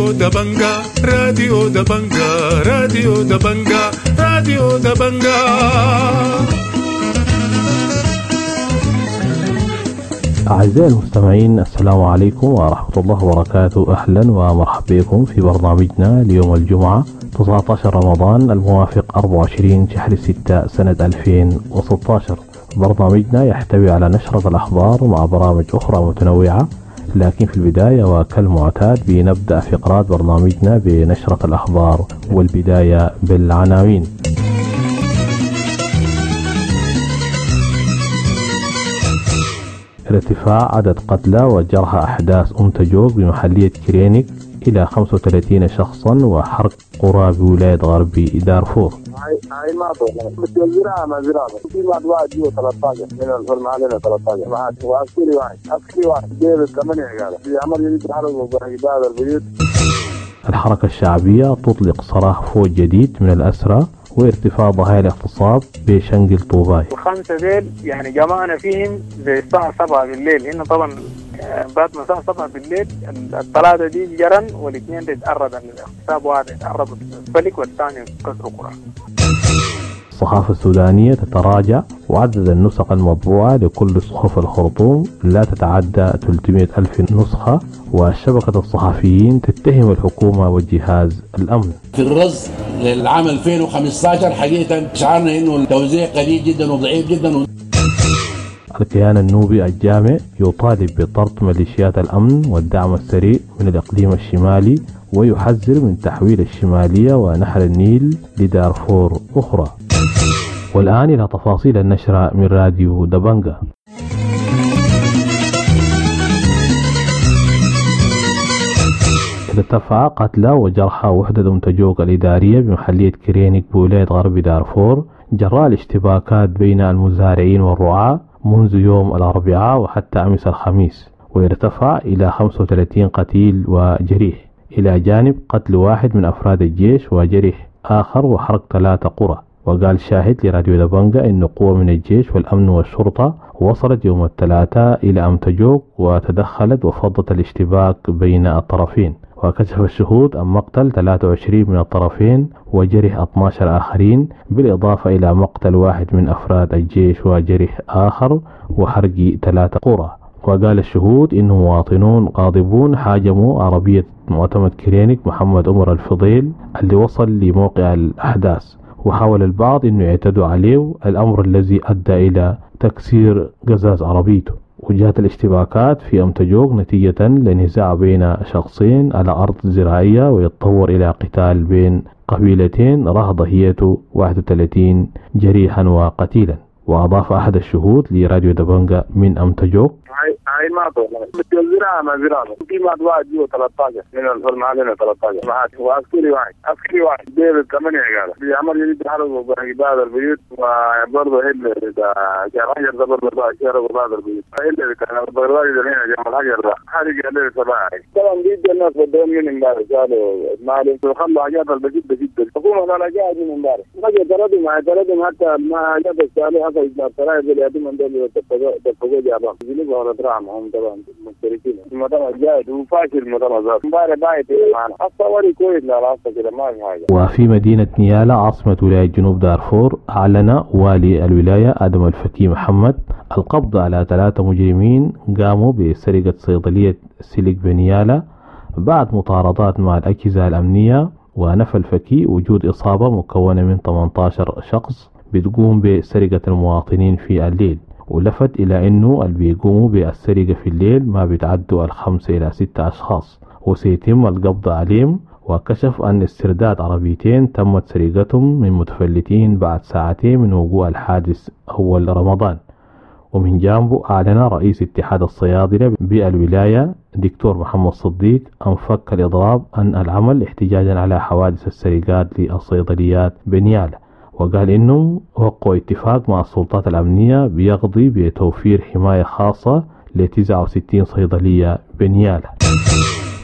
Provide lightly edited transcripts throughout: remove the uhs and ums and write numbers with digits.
راديو دبنجا، راديو دبنجا، راديو دبنجا، راديو دبنجا. أعزائي المستمعين، السلام عليكم ورحمة الله وبركاته. أهلا ومرحبا بكم في برنامجنا ليوم الجمعة 19 رمضان الموافق 24 شهر 6 سنة 2016. برنامجنا يحتوي على نشرة الأخبار مع برامج أخرى متنوعة، لكن في البداية وكالمعتاد بنبدأ فقرات برنامجنا بنشرة الأخبار، والبداية بالعناوين. ارتفاع عدد قتلى وجرحى أحداث أمتجوك بمحلية كرينيك إلى 35 شخصا وحرق قرى بولاية غرب دارفور. هاي ما بس الزراعة ما زراعة في بعد واحد جوا 13 من المعلمة 13 معاد وعسكري واحد، عسكري واحد جيب 8 قال في عمل جديد حرب بعض البيوت. الحركة الشعبية تطلق سراح فوج جديد من الأسرى وارتفاع ضحايا الاغتصاب بشنقل طوباي. الخمسة ديل يعني جمعنا فيهم زي الساعة 7 بالليل، هنا طبعا بعد ما الساعة 7 بالليل الثلاثة دي جرن والاثنين دي اتعرضوا للاغتصاب، واحد اتعرض للفلك والثاني كسر قرى. الصحافة السودانية تتراجع وعدد النسخ المطبوعة لكل صحف الخرطوم لا تتعدى 300 ألف نسخة، وشبكة الصحفيين تتهم الحكومة وجهاز الأمن. في الرز للعام 2015 حقيقة شعرنا أنه التوزيع قليل جدا وضعيف جدا. الكيان النوبي الجامع يطالب بطرد ميليشيات الأمن والدعم السريع من الإقليم الشمالي ويحذر من تحويل الشمالية ونهر النيل لدارفور أخرى. والآن إلى تفاصيل النشرة من راديو دبنجا. ارتفع قتلى وجرحى وحدة أمتجوك الإدارية بمحلية كرينيك بولاية غرب دارفور جراء الاشتباكات بين المزارعين والرعاة منذ يوم الأربعاء وحتى أمس الخميس، ويرتفع إلى 35 قتيل وجريح، إلى جانب قتل واحد من أفراد الجيش وجريح آخر وحرق 3 قرى. وقال شاهد لراديو دبنجا إن قوة من الجيش والأمن والشرطة وصلت يوم الثلاثاء إلى أمتجوك وتدخلت وفضت الاشتباك بين الطرفين. وكشف الشهود عن مقتل 23 من الطرفين وجرح 12 آخرين، بالإضافة إلى مقتل واحد من أفراد الجيش وجرح آخر وحرق 3 قرى. وقال الشهود إن مواطنون غاضبون هاجموا عربية معتمد كرينيك محمد عمر الفضيل اللي وصل لموقع الأحداث، وحاول البعض أنه يعتدوا عليه، الأمر الذي أدى إلى تكسير قزاز عربيته. وجاءت الاشتباكات في أمتجوك نتيجة لنزاع بين شخصين على أرض زراعية ويتطور إلى قتال بين قبيلتين راح ضحيته 31 جريحا وقتيلا. وأضاف أحد الشهود لراديو دبنجا من أمتجوك: هاي ما بس الزراعة ما زراعة في بعد واحد جوا 13 من المعلمة 13 معاد وعسكري واحد، عسكري واحد جيب 8 قال في عمل جديد حرب بعض البيوت، وبرضه هلا بتاع الحجر ده برضه شرب بعض البيوت، هلا بتاع البرواج ده هنا جنب الحجر ده حرق الليل 7. طبعا بيدي الناس بدهم من امبارح قالوا المعلم وخلوا حاجات البسيط جدا. الحكومة قال جاء من امبارح ما جربوا ما جربوا حتى ما جاب السؤال حتى السراير اللي يدوم دول دفقوا جابهم هم طبعا مشتركين المطعم جاهد وفاشل المطعم ذات امبارح بايت معنا الصوري كويس لا راسه كده ما في حاجه. وفي مدينه نيالا عاصمه ولايه جنوب دارفور اعلن والي الولايه ادم الفكي محمد القبض على 3 مجرمين قاموا بسرقه صيدليه سلك بنيالا بعد مطاردات مع الاجهزه الامنيه. ونفى الفكي وجود اصابه مكونه من 18 شخص بتقوم بسرقه المواطنين في الليل، ولفت إلى أنه اللي بيقوموا بالسرقة في الليل ما بيتعدوا 5 إلى 6 أشخاص وسيتم القبض عليهم. وكشف أن استرداد عربيتين تمت سرقتهم من متفلتين بعد ساعتين من وقوع الحادث أول رمضان. ومن جانبه أعلن رئيس اتحاد الصيادلة بالولاية دكتور محمد صديق أن فك الإضراب عن العمل احتجاجا على حوادث السرقات للصيدليات بنيالة، وقال إنه وقعوا اتفاق مع السلطات الأمنية بيقضي بتوفير حماية خاصة ل 69 صيدلية بنيالة.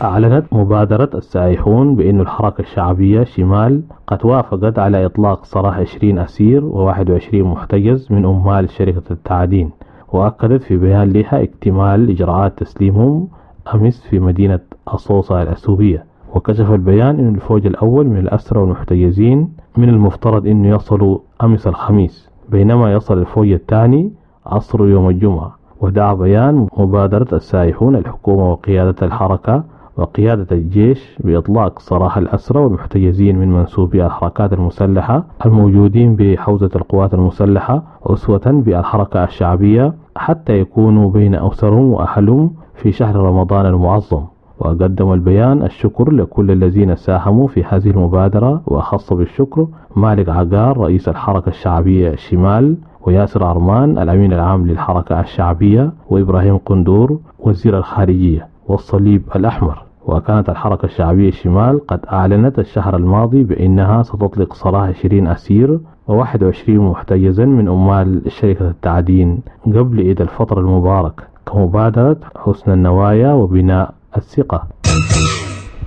أعلنت مبادرة السائحون بأن الحركة الشعبية شمال قد وافقت على إطلاق سراح 20 أسير و21 محتجز من عمال شركة التعدين، وأكدت في بيان لها اكتمال إجراءات تسليمهم أمس في مدينة أصوصة الأثيوبية. وكشف البيان أن الفوج الأول من الأسرى والمحتجزين من المفترض أنه يصلوا أمس الخميس، بينما يصل الفوج الثاني عصر يوم الجمعة. ودعا بيان مبادرة السائحون الحكومة وقيادة الحركة وقيادة الجيش بإطلاق سراح الأسرى والمحتجزين من منسوبي الحركات المسلحة الموجودين بحوزة القوات المسلحة أسوة بالحركة الشعبية حتى يكونوا بين أسرهم وأهلهم في شهر رمضان المعظم. وقدم البيان الشكر لكل الذين ساهموا في هذه المبادرة، وأخص بالشكر مالك عقار رئيس الحركة الشعبية الشمال، وياسر عرمان الأمين العام للحركة الشعبية، وإبراهيم قندور وزير الخارجية، والصليب الأحمر. وكانت الحركة الشعبية الشمال قد أعلنت الشهر الماضي بأنها ستطلق سراح 20 أسير و21 محتجزا من عمال شركة التعدين قبل عيد الفطر المبارك كمبادرة حسن النوايا وبناء الثقة.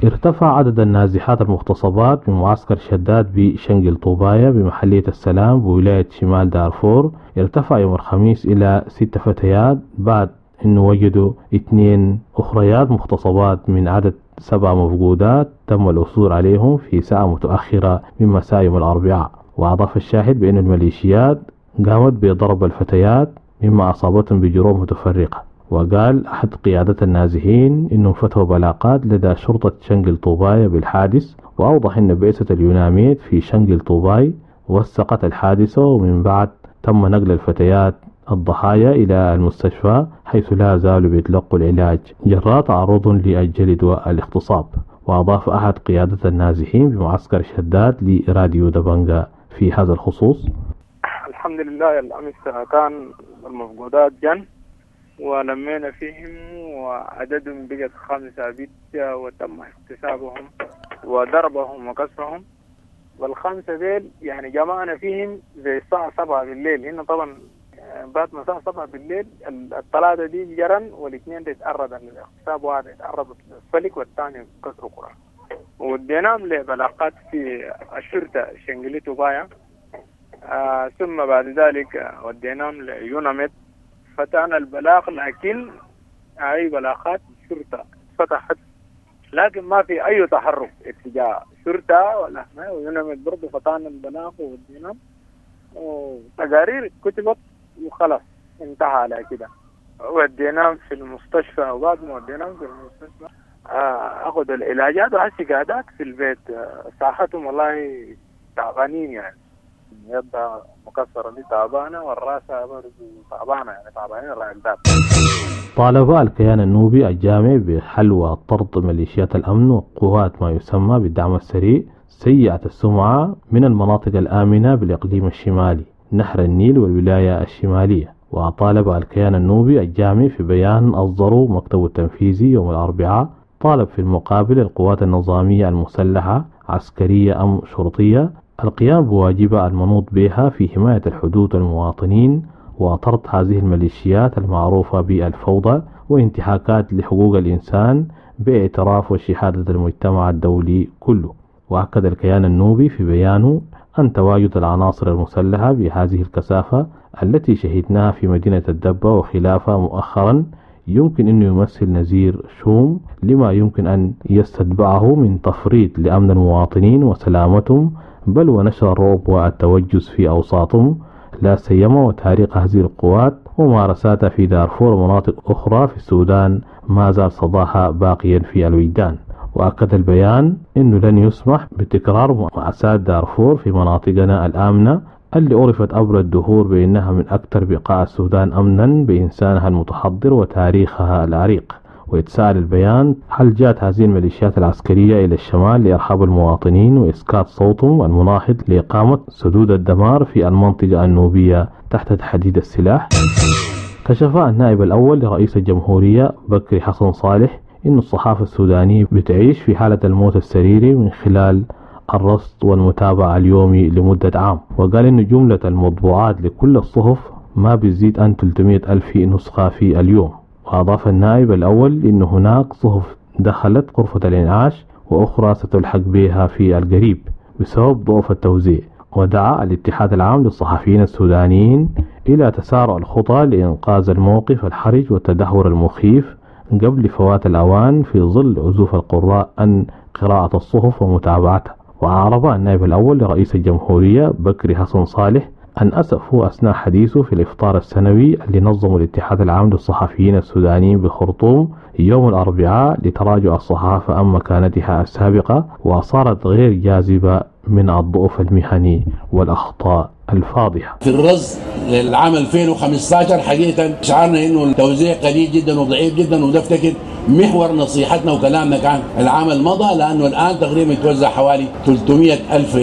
ارتفع عدد النازحات المغتصبات بمعسكر شداد بشنقل طوبايا بمحلية السلام بولاية شمال دارفور ارتفع يوم الخميس إلى 6 فتيات بعد أنه وجدوا 2 أخريات مغتصبات من عدد 7 مفقودات تم العثور عليهم في ساعة متأخرة من مساء يوم الأربعاء. وأضاف الشاهد بأن الميليشيات قامت بضرب الفتيات مما أصابتهم بجروح متفرقة. وقال أحد قيادة النازحين إنهم فتحوا بلاغات لدى شرطة شنقل طوباي بالحادث، وأوضح أن بعثة اليوناميد في شنقل طوباي وثقت الحادثة، ومن بعد تم نقل الفتيات الضحايا إلى المستشفى حيث لا زالوا بيتلقوا العلاج جراء تعرض للجلد والاغتصاب. وأضاف أحد قيادة النازحين بمعسكر شداد لراديو دبنجا في هذا الخصوص: الحمد لله الأمس كان المفقودات جن ولمينا فيهم وعددهم بقت 5 بيت وتم احتسابهم وضربهم وكسرهم. وال5 ديل يعني جمعنا فيهم زي الساعة 7 بالليل، هنا طبعا بعد ما الساعة 7 بالليل الثلاثة دي جرن والاثنين دي اتعرضوا للاغتصاب، واحد اتعرض للفلك والثاني كسروا قرى. وديناهم لبلاغات في الشرطة شنقلي طوبايا، ثم بعد ذلك وديناهم ليوناميد فتحنا البلاغ، لكن أي بلاغات شرطة فتحت لكن ما في أي تحرك اتجاه شرطة ولا ما. ويوناميد برضه فتحنا البلاغ وديناهم وتقارير كتبت وخلاص انتهى على كده. وديناهم في المستشفى، وبعد ما وديناهم في المستشفى أخذوا العلاجات وهسي قاعدات في البيت. صحتهم والله تعبانين يعني، يدها مكسرة دي تعبانة والراسة برضه تعبانة، يعني تعبانين الرأس. طالب الكيان النوبي الجامع بحل وطرد ميليشيات الأمن وقوات ما يسمى بالدعم السريع سيئة السمعة من المناطق الآمنة بالإقليم الشمالي نهر النيل والولاية الشمالية. وطالب الكيان النوبي الجامع في بيان أصدره مكتب التنفيذي يوم الأربعاء، طالب في المقابل القوات النظامية المسلحة عسكرية أم شرطية القيام بواجبها المنوط بها في حماية الحدود والمواطنين وطرد هذه الميليشيات المعروفة بالفوضى وانتهاكات لحقوق الإنسان باعتراف وشهادة المجتمع الدولي كله. وأكد الكيان النوبي في بيانه أن تواجد العناصر المسلحة بهذه الكثافة التي شهدناها في مدينة الدبة وخلافها مؤخرا يمكن أن يمثل نذير شوم لما يمكن أن يستتبعه من تفريط لأمن المواطنين وسلامتهم، بل ونشر الرعب والتوجس في أوساطهم، لا سيما وتاريخ هذه القوات وممارساتها في دارفور ومناطق أخرى في السودان ما زال صداها باقيا في الوجدان. وأكد البيان أنه لن يسمح بتكرار مأساة دارفور في مناطقنا الآمنة اللي عرفت عبر الدهور بأنها من أكثر بقاع السودان أمنا بإنسانها المتحضر وتاريخها العريق. ويتساءل البيان هل جاءت هذه الميليشيات العسكرية إلى الشمال لإرهاب المواطنين وإسكات صوتهم المناهض لإقامة سدود الدمار في المنطقة النوبية تحت تحديد السلاح؟ كشف النائب الأول لرئيس الجمهورية بكري حسن صالح إن الصحافة السودانية بتعيش في حالة الموت السريري من خلال الرصد والمتابعة اليومي لمدة عام، وقال إن جملة المطبوعات لكل الصحف ما بتزيد عن 300 ألف نسخة في اليوم. وأضاف النائب الأول إن هناك صحف دخلت غرفة الإنعاش وأخرى ستلحق بها في القريب بسبب ضعف التوزيع. ودعا الاتحاد العام للصحفيين السودانيين إلى تسارع الخطى لإنقاذ الموقف الحرج والتدهور المخيف قبل فوات الأوان في ظل عزوف القراء عن قراءة الصحف ومتابعتها. وأعرب النائب الأول لرئيس الجمهورية بكري حسن صالح عن أسفه أثناء حديثه في الإفطار السنوي اللي نظمه الاتحاد العام للصحفيين السودانيين بالخرطوم يوم الأربعاء لتراجع الصحافة عن مكانتها السابقة وصارت غير جاذبة من الضعف المهني والأخطاء الفاضحة. في الرصد للعام 2015 حقيقة شعرنا انه التوزيع قليل جدا وضعيف جدا، وده افتكر محور نصيحتنا وكلامنا كان العام الماضي، لانه الان تقريبا يتوزع حوالي 300 الف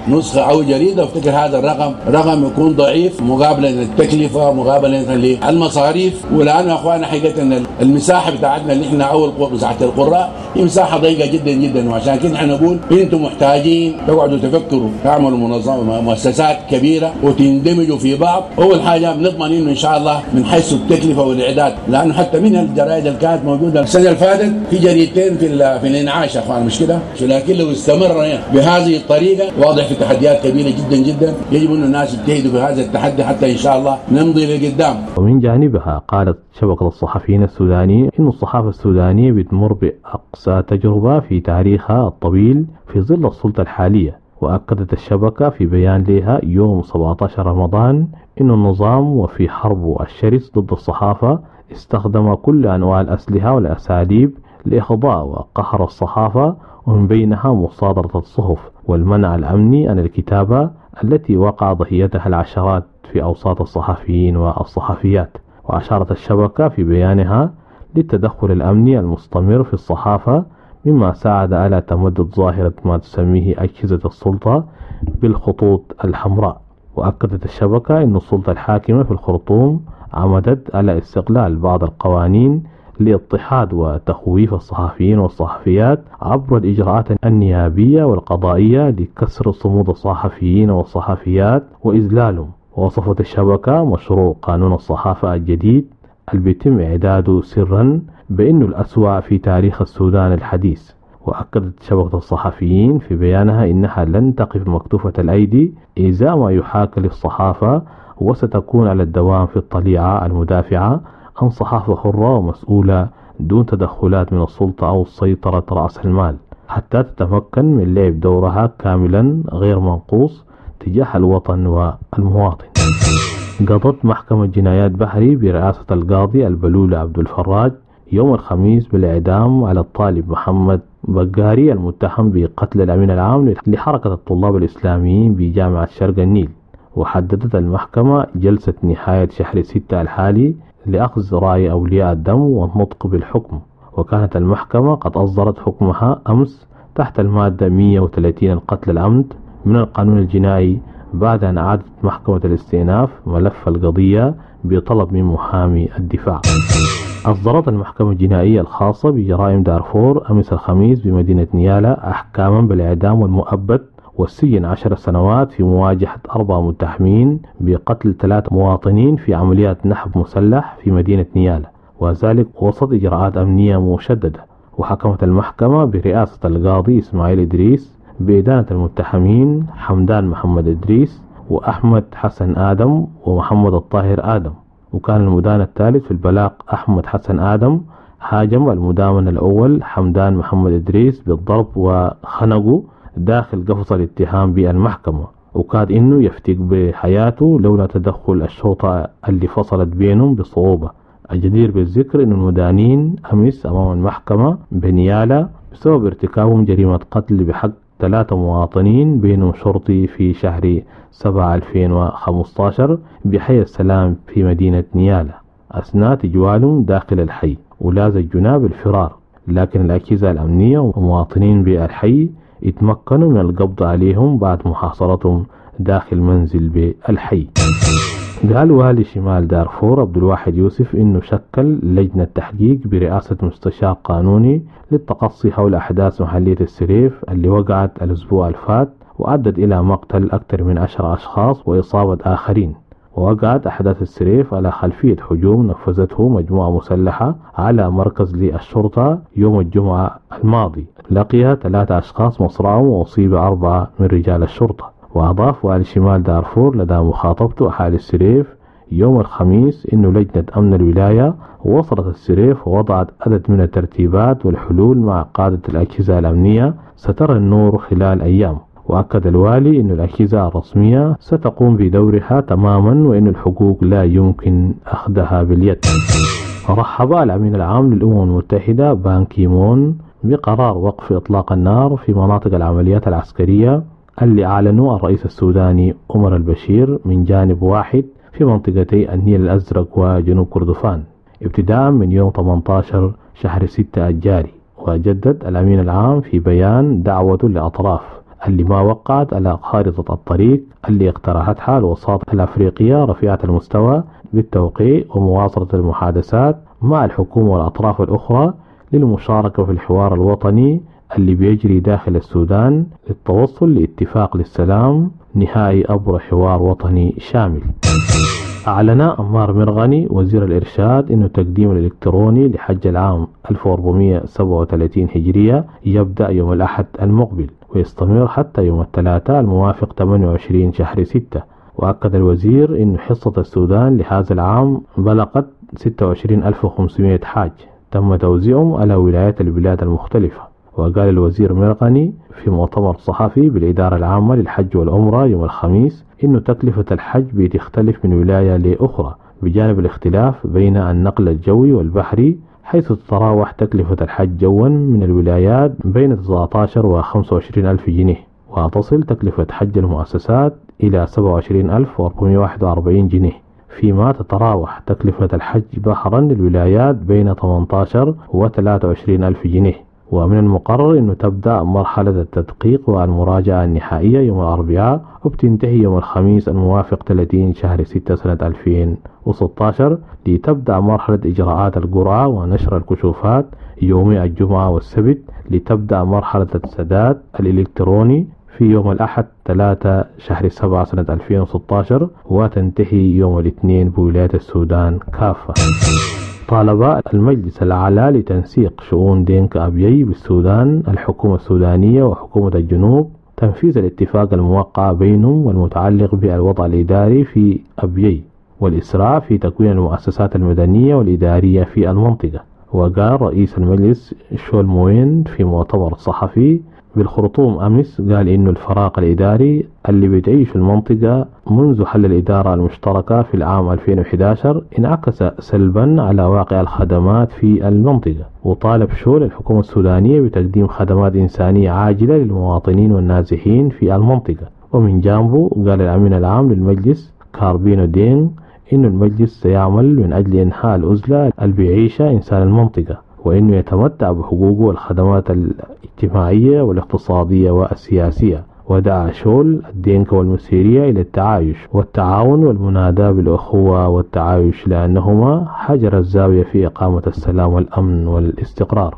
نسخه او جريدة. افتكر هذا الرقم رقم يكون ضعيف مقابله للتكلفه، مقابله للمصاريف، ولانه يا اخوانا حقيقة المساحة بتاعتنا اللي احنا اول مساحة القراء هي مساحة ضيقه جدا جدا، وعشان كده احنا نقول انتم محتاجين تقعدوا تفكروا تعملوا منظمة مؤسسات كبيرة وتندمجوا في بعض. اول حاجة بنضمن انه ان شاء الله من حيث التكلفة والاعداد، لانه حتى من الجرائد اللي كانت موجودة السنة اللي فاتت في جريدتين في الانعاش يا اخوان، مش كده؟ لكن لو استمرنا بهذه الطريقة واضح في تحديات كبيرة جدا جدا، يجب ان الناس يجتهدوا في هذا التحدي حتى ان شاء الله نمضي لقدام. ومن جانبها قالت شبكة الصحفيين السودانيين ان الصحافة السودانية بتمر باقصى تجربه في تاريخها الطويل في ظل السلطة الحالية. وأكدت الشبكة في بيان لها يوم 17 رمضان أن النظام وفي حربه الشرس ضد الصحافة استخدم كل أنواع الأسلحة والأساليب لإخضاع وقهر الصحافة، ومن بينها مصادرة الصحف والمنع الأمني عن الكتابة التي وقع ضحيتها العشرات في أوساط الصحفيين والصحفيات. وأشارت الشبكة في بيانها للتدخل الأمني المستمر في الصحافة، مما ساعد على تمدد ظاهرة ما تسميه أجهزة السلطة بالخطوط الحمراء. وأكدت الشبكة أن السلطة الحاكمة في الخرطوم عمدت على استغلال بعض القوانين لاضطهاد وتخويف الصحفيين والصحفيات عبر الإجراءات النيابية والقضائية لكسر صمود الصحفيين والصحفيات وإذلالهم. ووصفت الشبكة مشروع قانون الصحافة الجديد اللي بيتم إعداده سرا بأنه الأسوأ في تاريخ السودان الحديث. وأكدت شبكة الصحفيين في بيانها إنها لن تقف مكتوفة الأيدي إزاء ما يحاك للصحافة، وستكون على الدوام في الطليعة المدافعة عن صحافة حرة ومسؤولة دون تدخلات من السلطة أو سيطرة رأس المال، حتى تتمكن من لعب دورها كاملا غير منقوص تجاه الوطن والمواطن. قضت محكمة جنايات بحري برئاسة القاضي البلولة عبد الفراج يوم الخميس بالإعدام على الطالب محمد بقاري المتهم بقتل الأمين العام لحركة الطلاب الإسلاميين بجامعة شرق النيل. وحددت المحكمة جلسة نهاية شهر 6 الحالي لأخذ رأي أولياء الدم والنطق بالحكم. وكانت المحكمة قد أصدرت حكمها أمس تحت المادة 130 القتل العمد من القانون الجنائي، بعد أن أعادت محكمة الاستئناف ملف القضية بطلب من محامي الدفاع. أصدرت المحكمة الجنائية الخاصة بجرائم دارفور أمس الخميس بمدينة نيالا أحكاما بالإعدام والمؤبد والسجن 10 سنوات في مواجهة 4 متهمين بقتل 3 مواطنين في عمليات نحب مسلح في مدينة نيالا، وذلك وسط إجراءات أمنية مشددة. وحكمت المحكمة برئاسة القاضي إسماعيل إدريس بإدانة المتهمين حمدان محمد إدريس وأحمد حسن آدم ومحمد الطاهر آدم. وكان المدان الثالث في البلاغ أحمد حسن آدم هاجم المدامن الأول حمدان محمد إدريس بالضرب وخنقه داخل قفص الاتهام بالمحكمة، وكاد إنه يفتك بحياته لولا تدخل الشرطة اللي فصلت بينهم بصعوبة. الجدير بالذكر إن المدانين أمس أمام المحكمة بنيالا بسبب ارتكابهم جريمة قتل بحق 3 مواطنين بينهم شرطي في شهر 7 2015 بحي السلام في مدينة نيالا أثناء تجوالهم داخل الحي، ولاز الجناب بالفرار، لكن الأجهزة الأمنية ومواطنين بالحي اتمكنوا من القبض عليهم بعد محاصرتهم داخل منزل بالحي. قال والي شمال دارفور عبد الواحد يوسف إنه شكل لجنة تحقيق برئاسة مستشار قانوني للتقصي حول أحداث محلية السريف اللي وقعت الأسبوع الفات وأدت إلى مقتل أكثر من 10 أشخاص وإصابة آخرين. ووقعت أحداث السريف على خلفية هجوم نفذته مجموعة مسلحة على مركز للشرطة يوم الجمعة الماضي، لقي 3 أشخاص مصرعهم وأصيب 4 من رجال الشرطة. وأضاف والي شمال دارفور لدى مخاطبته أهالي السريف يوم الخميس إنه لجنة أمن الولاية وصلت السريف ووضعت عدد من الترتيبات والحلول مع قادة الأجهزة الأمنية سترى النور خلال أيام. وأكد الوالي أن الأجهزة الرسمية ستقوم بدورها تماما، وأن الحقوق لا يمكن أخذها باليد. رحب الأمين العام للأمم المتحدة بان كيمون بقرار وقف إطلاق النار في مناطق العمليات العسكرية اللي أعلنه الرئيس السوداني عمر البشير من جانب واحد في منطقتي النيل الأزرق وجنوب كردفان ابتداء من يوم 18 شهر 6 الجاري. وجدد الأمين العام في بيان دعوته للأطراف اللي ما وقعت على خارطة الطريق اللي اقترحتها الوساطة الأفريقية رفيعة المستوى بالتوقيع ومواصلة المحادثات مع الحكومة والأطراف الأخرى للمشاركة في الحوار الوطني اللي بيجري داخل السودان للتوصل لاتفاق للسلام نهائي عبر حوار وطني شامل. أعلن عمار مرغني وزير الإرشاد أن التقديم الإلكتروني لحج العام 1437 هجرية يبدأ يوم الأحد المقبل ويستمر حتى يوم الثلاثاء الموافق 28 شهر 6. وأكد الوزير أن حصة السودان لهذا العام بلغت 26500 حاج تم توزيعهم على ولايات البلاد المختلفة. وقال الوزير مرغني في مؤتمر صحفي بالإدارة العامة للحج والعمرة يوم الخميس إنه تكلفة الحج بتختلف من ولاية لأخرى بجانب الاختلاف بين النقل الجوي والبحري، حيث تتراوح تكلفة الحج جوا من الولايات بين 19 و 25 ألف جنيه، وتصل تكلفة حج المؤسسات إلى 27441 جنيه، فيما تتراوح تكلفة الحج بحرا للولايات بين 18 و 23 ألف جنيه. ومن المقرر أنه تبدأ مرحلة التدقيق والمراجعة النهائية يوم الأربعاء وبتنتهي يوم الخميس الموافق 30 شهر 6 سنة 2016 لتبدأ مرحلة إجراءات القرعة ونشر الكشوفات يوم الجمعة والسبت، لتبدأ مرحلة السداد الإلكتروني في يوم الأحد 3 شهر 7 سنة 2016 وتنتهي يوم الاثنين بولاية السودان كافة. طالب المجلس الأعلى لتنسيق شؤون دينكا أبيي بالسودان الحكومة السودانية وحكومة الجنوب تنفيذ الاتفاق الموقع بينهم والمتعلق بالوضع الإداري في أبيي والإسراع في تكوين المؤسسات المدنية والإدارية في المنطقة. وقال رئيس المجلس شول موين في مؤتمر صحفي بالخرطوم أمس، قال إنه الفراغ الإداري اللي بتعيش المنطقة منذ حل الإدارة المشتركة في العام 2011 انعكس سلبا على واقع الخدمات في المنطقة. وطالب شول الحكومة السودانية بتقديم خدمات إنسانية عاجلة للمواطنين والنازحين في المنطقة. ومن جانبه قال الأمين العام للمجلس كاربينو دين إنه المجلس سيعمل من أجل إنهاء العزلة اللي بيعيشها إنسان المنطقة، وإنه يتمتع بحقوقه والخدمات الاجتماعية والاقتصادية والسياسية. ودعا شول الدينكا والمسيرية إلى التعايش والتعاون والمناداة بالأخوة والتعايش، لأنهما حجر الزاوية في إقامة السلام والأمن والاستقرار.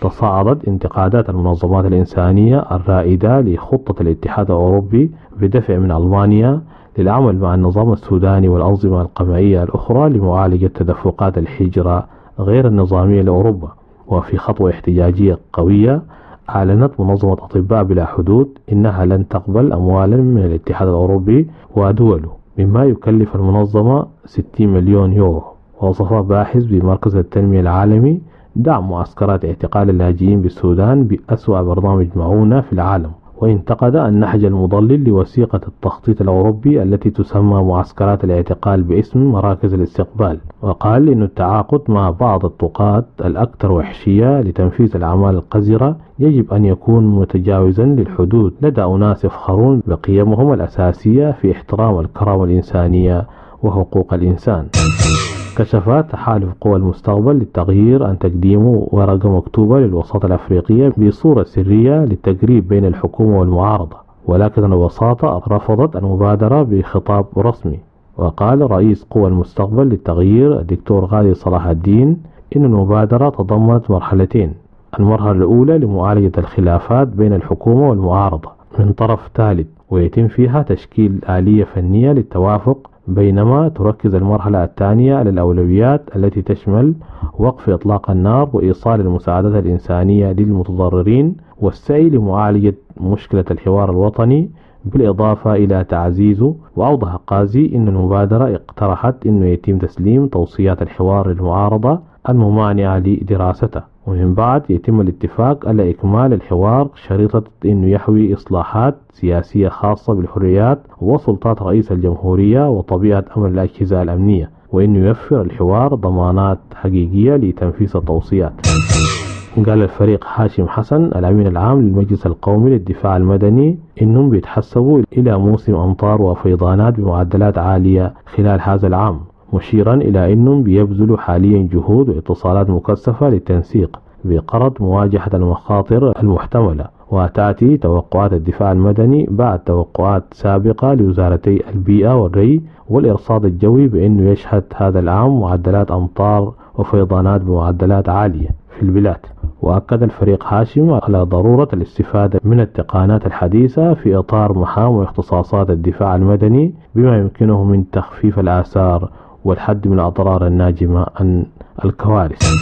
تصاعدت انتقادات المنظمات الإنسانية الرائدة لخطة الاتحاد الأوروبي بدفع من ألمانيا للعمل مع النظام السوداني والأنظمة القمعية الأخرى لمعالجة تدفقات الهجرة غير النظامية لأوروبا. وفي خطوة احتجاجية قوية أعلنت منظمة أطباء بلا حدود إنها لن تقبل أموالا من الاتحاد الأوروبي ودوله، مما يكلف المنظمة 60 مليون يورو. ووصف باحث بمركز التنمية العالمي دعم معسكرات اعتقال اللاجئين بالسودان بأسوأ برنامج معونة في العالم، وانتقد النهج المضلل لوثيقة التخطيط الأوروبي التي تسمى معسكرات الاعتقال باسم مراكز الاستقبال. وقال إن التعاقد مع بعض الطاقات الأكثر وحشية لتنفيذ الأعمال القذرة يجب أن يكون متجاوزا للحدود لدى أناس يفخرون بقيمهم الأساسية في احترام الكرامة الإنسانية وحقوق الإنسان. كشف تحالف قوى المستقبل للتغيير عن تقديمه ورقة مكتوبة للوساطة الأفريقية بصورة سرية للتقريب بين الحكومة والمعارضة، ولكن الوساطة رفضت المبادرة بخطاب رسمي. وقال رئيس قوى المستقبل للتغيير الدكتور غالي صلاح الدين إن المبادرة تضمنت مرحلتين: المرحلة الأولى لمعالجة الخلافات بين الحكومة والمعارضة من طرف ثالث، ويتم فيها تشكيل آلية فنية للتوافق، بينما تركز المرحلة الثانية على الأولويات التي تشمل وقف إطلاق النار وإيصال المساعدات الإنسانية للمتضررين والسعي لمعالجة مشكلة الحوار الوطني بالإضافة إلى تعزيزه. وأوضح قازي أن المبادرة اقترحت أنه يتم تسليم توصيات الحوار للمعارضة الممانعة لدراسته، ومن بعد يتم الاتفاق على إكمال الحوار شريطة أنه يحوي إصلاحات سياسية خاصة بالحريات وسلطات رئيس الجمهورية وطبيعة أمر الأجهزة الأمنية، وأنه يوفر الحوار ضمانات حقيقية لتنفيذ التوصيات. قال الفريق هاشم حسن الأمين العام للمجلس القومي للدفاع المدني إنهم بيتحسبوا إلى موسم أمطار وفيضانات بمعدلات عالية خلال هذا العام، مشيرا إلى أنهم بيبذلوا حاليا جهود واتصالات مكثفة للتنسيق بغرض مواجهة المخاطر المحتملة. وتأتي توقعات الدفاع المدني بعد توقعات سابقة لوزارتي البيئة والري والإرصاد الجوي بأنه يشهد هذا العام معدلات أمطار وفيضانات بمعدلات عالية في البلاد. وأكد الفريق هاشم على ضرورة الاستفادة من التقنيات الحديثة في إطار مهام واختصاصات الدفاع المدني بما يمكنه من تخفيف الآثار والحد من الأضرار الناجمة عن الكوارث.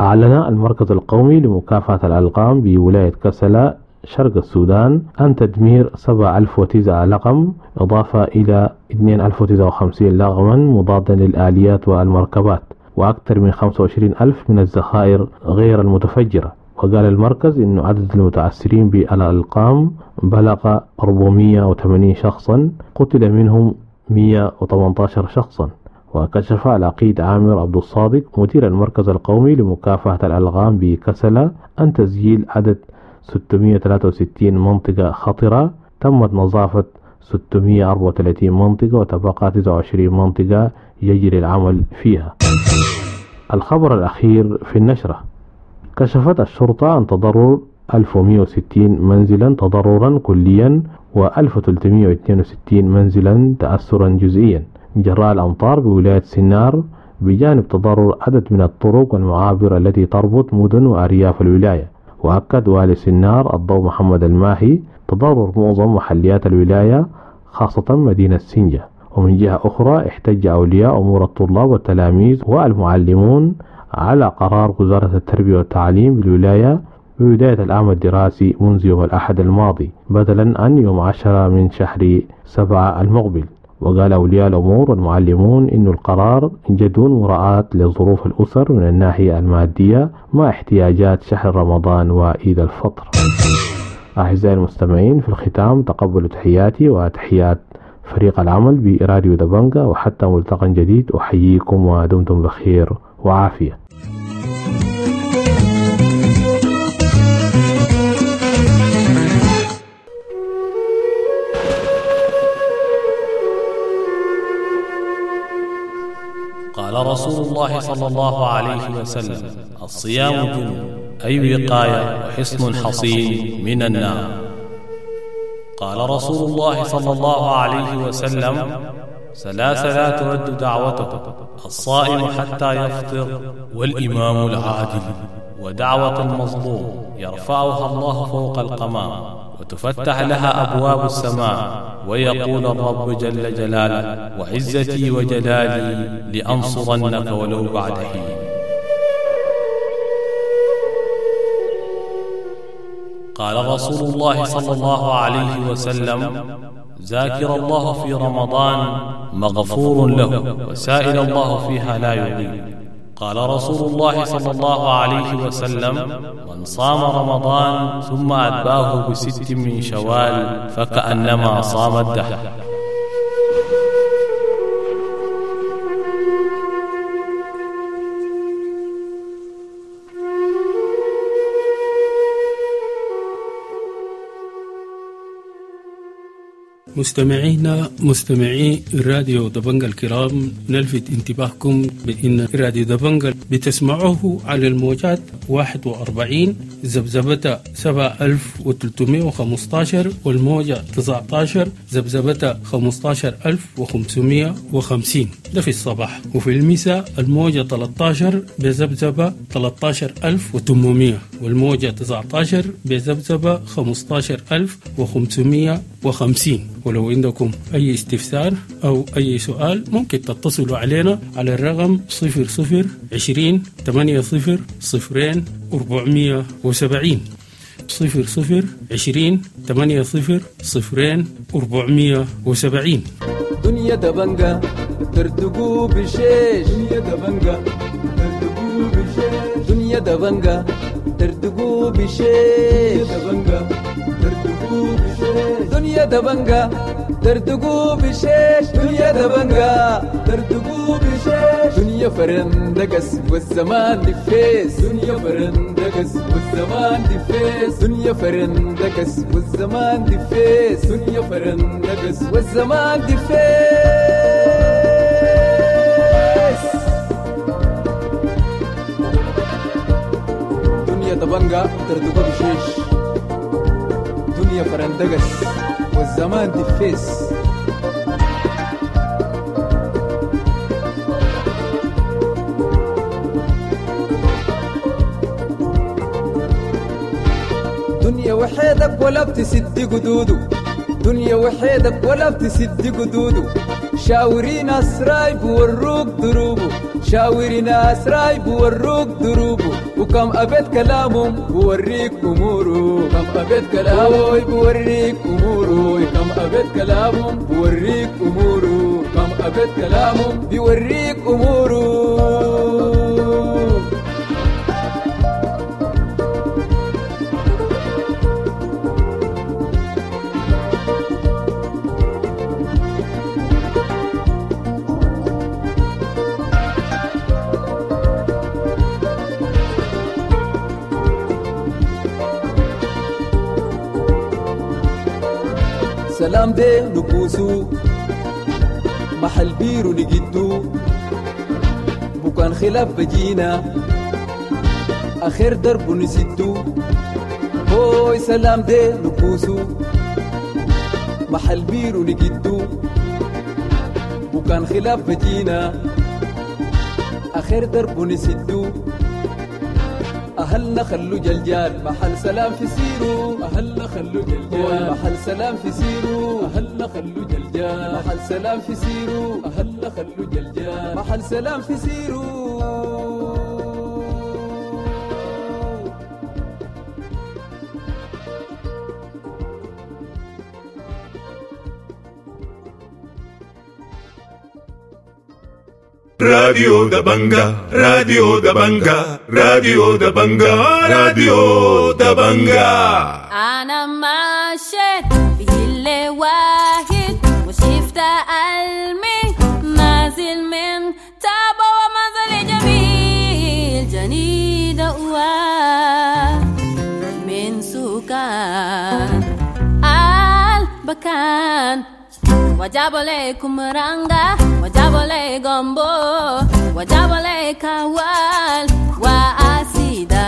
أعلن المركز القومي لمكافحة الألغام بولاية كسلا شرق السودان عن تدمير 7009 لغم إضافة إلى 2059 لغما مضادا للآليات والمركبات وأكثر من 25 ألف من الذخائر غير المتفجرة. وقال المركز أن عدد المتأثرين بالألقام بلغ 480 شخصا، قتل منهم 118 شخصا. وكشف العقيد عامر عبد الصادق مدير المركز القومي لمكافحة الألغام بكسلة عن تسجيل عدد 663 منطقة خطرة، تمت نظافة 634 منطقة وتبقى 29 منطقة يجري العمل فيها. الخبر الأخير في النشرة: كشفت الشرطة عن تضرر 1160 منزلا تضررا كليا و1362 منزلا تأثرا جزئيا جراء الأمطار بولاية سنار، بجانب تضرر عدد من الطرق والمعابر التي تربط مدن وأرياف الولاية. وأكد والي سنار الضوء محمد الماحي تضرر معظم محليات الولاية خاصة مدينة سنجة. ومن جهة أخرى احتج أولياء أمور الطلاب والتلاميذ والمعلمون على قرار وزارة التربية والتعليم بالولاية ببداية العام الدراسي منذ يوم الأحد الماضي بدلا عن يوم 10 من شهر 7 المقبل. وقال أولياء الأمور والمعلمون إن القرار جدون مراعاة لظروف الأسر من الناحية المادية مع احتياجات شهر رمضان وعيد الفطر. أعزائي المستمعين، في الختام تقبلوا تحياتي وتحيات فريق العمل براديو دبنجا، وحتى ملتقى جديد أحييكم ودمتم بخير وعافية. قال رسول الله صلى الله عليه وسلم: الصيام جنة، أي وقاية وحصن حصين من النار. قال رسول الله صلى الله عليه وسلم: ثلاثة لا ترد دعوته: الصائم حتى يفطر، والإمام العادل، ودعوة المظلوم يرفعها الله فوق القمام وتفتح لها أبواب السماء، ويقول الرب جل جلاله: وعزتي وجلالي لأنصرنك ولو بعد حين. قال رسول الله صلى الله عليه وسلم: ذاكر الله في رمضان مغفور له، وسائل الله فيها لا يضيع. قال رسول الله صلى الله عليه وسلم: من صام رمضان ثم أتباه بست من شوال فكأنما صام الدهر. مستمعينا مستمعي راديو دبنجا الكرام، نلفت انتباهكم بأن راديو دبنجا بتسمعوه على الموجات 41 ذبذبة 7315 والموجة 19 ذبذبة 15550، ده في الصباح، وفي المساء الموجة 13 بذبذبة 13800 والموجة 19 بذبذبة 15550. ولو عندكم أي استفسار أو أي سؤال ممكن تتصلوا علينا على الرقم 00 20 80 02 470. 00 20 8 0 0 470. دنيا دبنجة ترتقو بشيش، دنيا دبنجة ترتقو بشيش، دنيا دبنجة ترتقو بشيش، دبنجة ترتقو بشيش، دنيا دبنجة ترتقو بشيش، دنيا دبنجة ترتقو بشيش، دنيا فرندقس والزمان دفيس، دنيا فرندقس والزمان دفيس، دنيا فرندقس والزمان دفيس، دنيا فرندقس والزمان دفيس. دنيا دبنجة ترتقو بشيش، دنيا فرندقس والزمان دفيس. دنيا وحيدك ولا بتسد قدوده، دنيا وحيدك ولا بتسد قدوده، شاوري ناس رايب وروك دروبه، شاوري ناس رايب وروك دروبه، وكم أبيت كلامهم بوريك أموره، كم أبيت كلامه بوريك أموره، كم أبيت كلامهم بوريك أموره، كم أبيت كلامهم بيوريك أموره. سلام دي نبوسو محل بيرو نجدو، بكان خلاف بجينا آخر درب نسدو، هوي سلام دي نبوسو محل بيرو نجدو، بكان خلاف بجينا آخر درب نسدو، أهلنا خلو جلجال محل سلام في سيرو، أهلنا خلو جلجال محل سلام في سيرو، أهلنا خلو جلجال محل سلام في سيرو، أهلنا خلو جلجال محل سلام في سيرو. راديو دبنجة، راديو دبنجة، راديو دبنجة، راديو دبنجة. أنا مشيت في اللي واحد وشفت ألمي نازل من تابا ومنزل جميل جني دوا من سكان البكان، وجابوا لكم رانجا، وجابوا لي غombo، وجابوا لي كوال وأسيدا،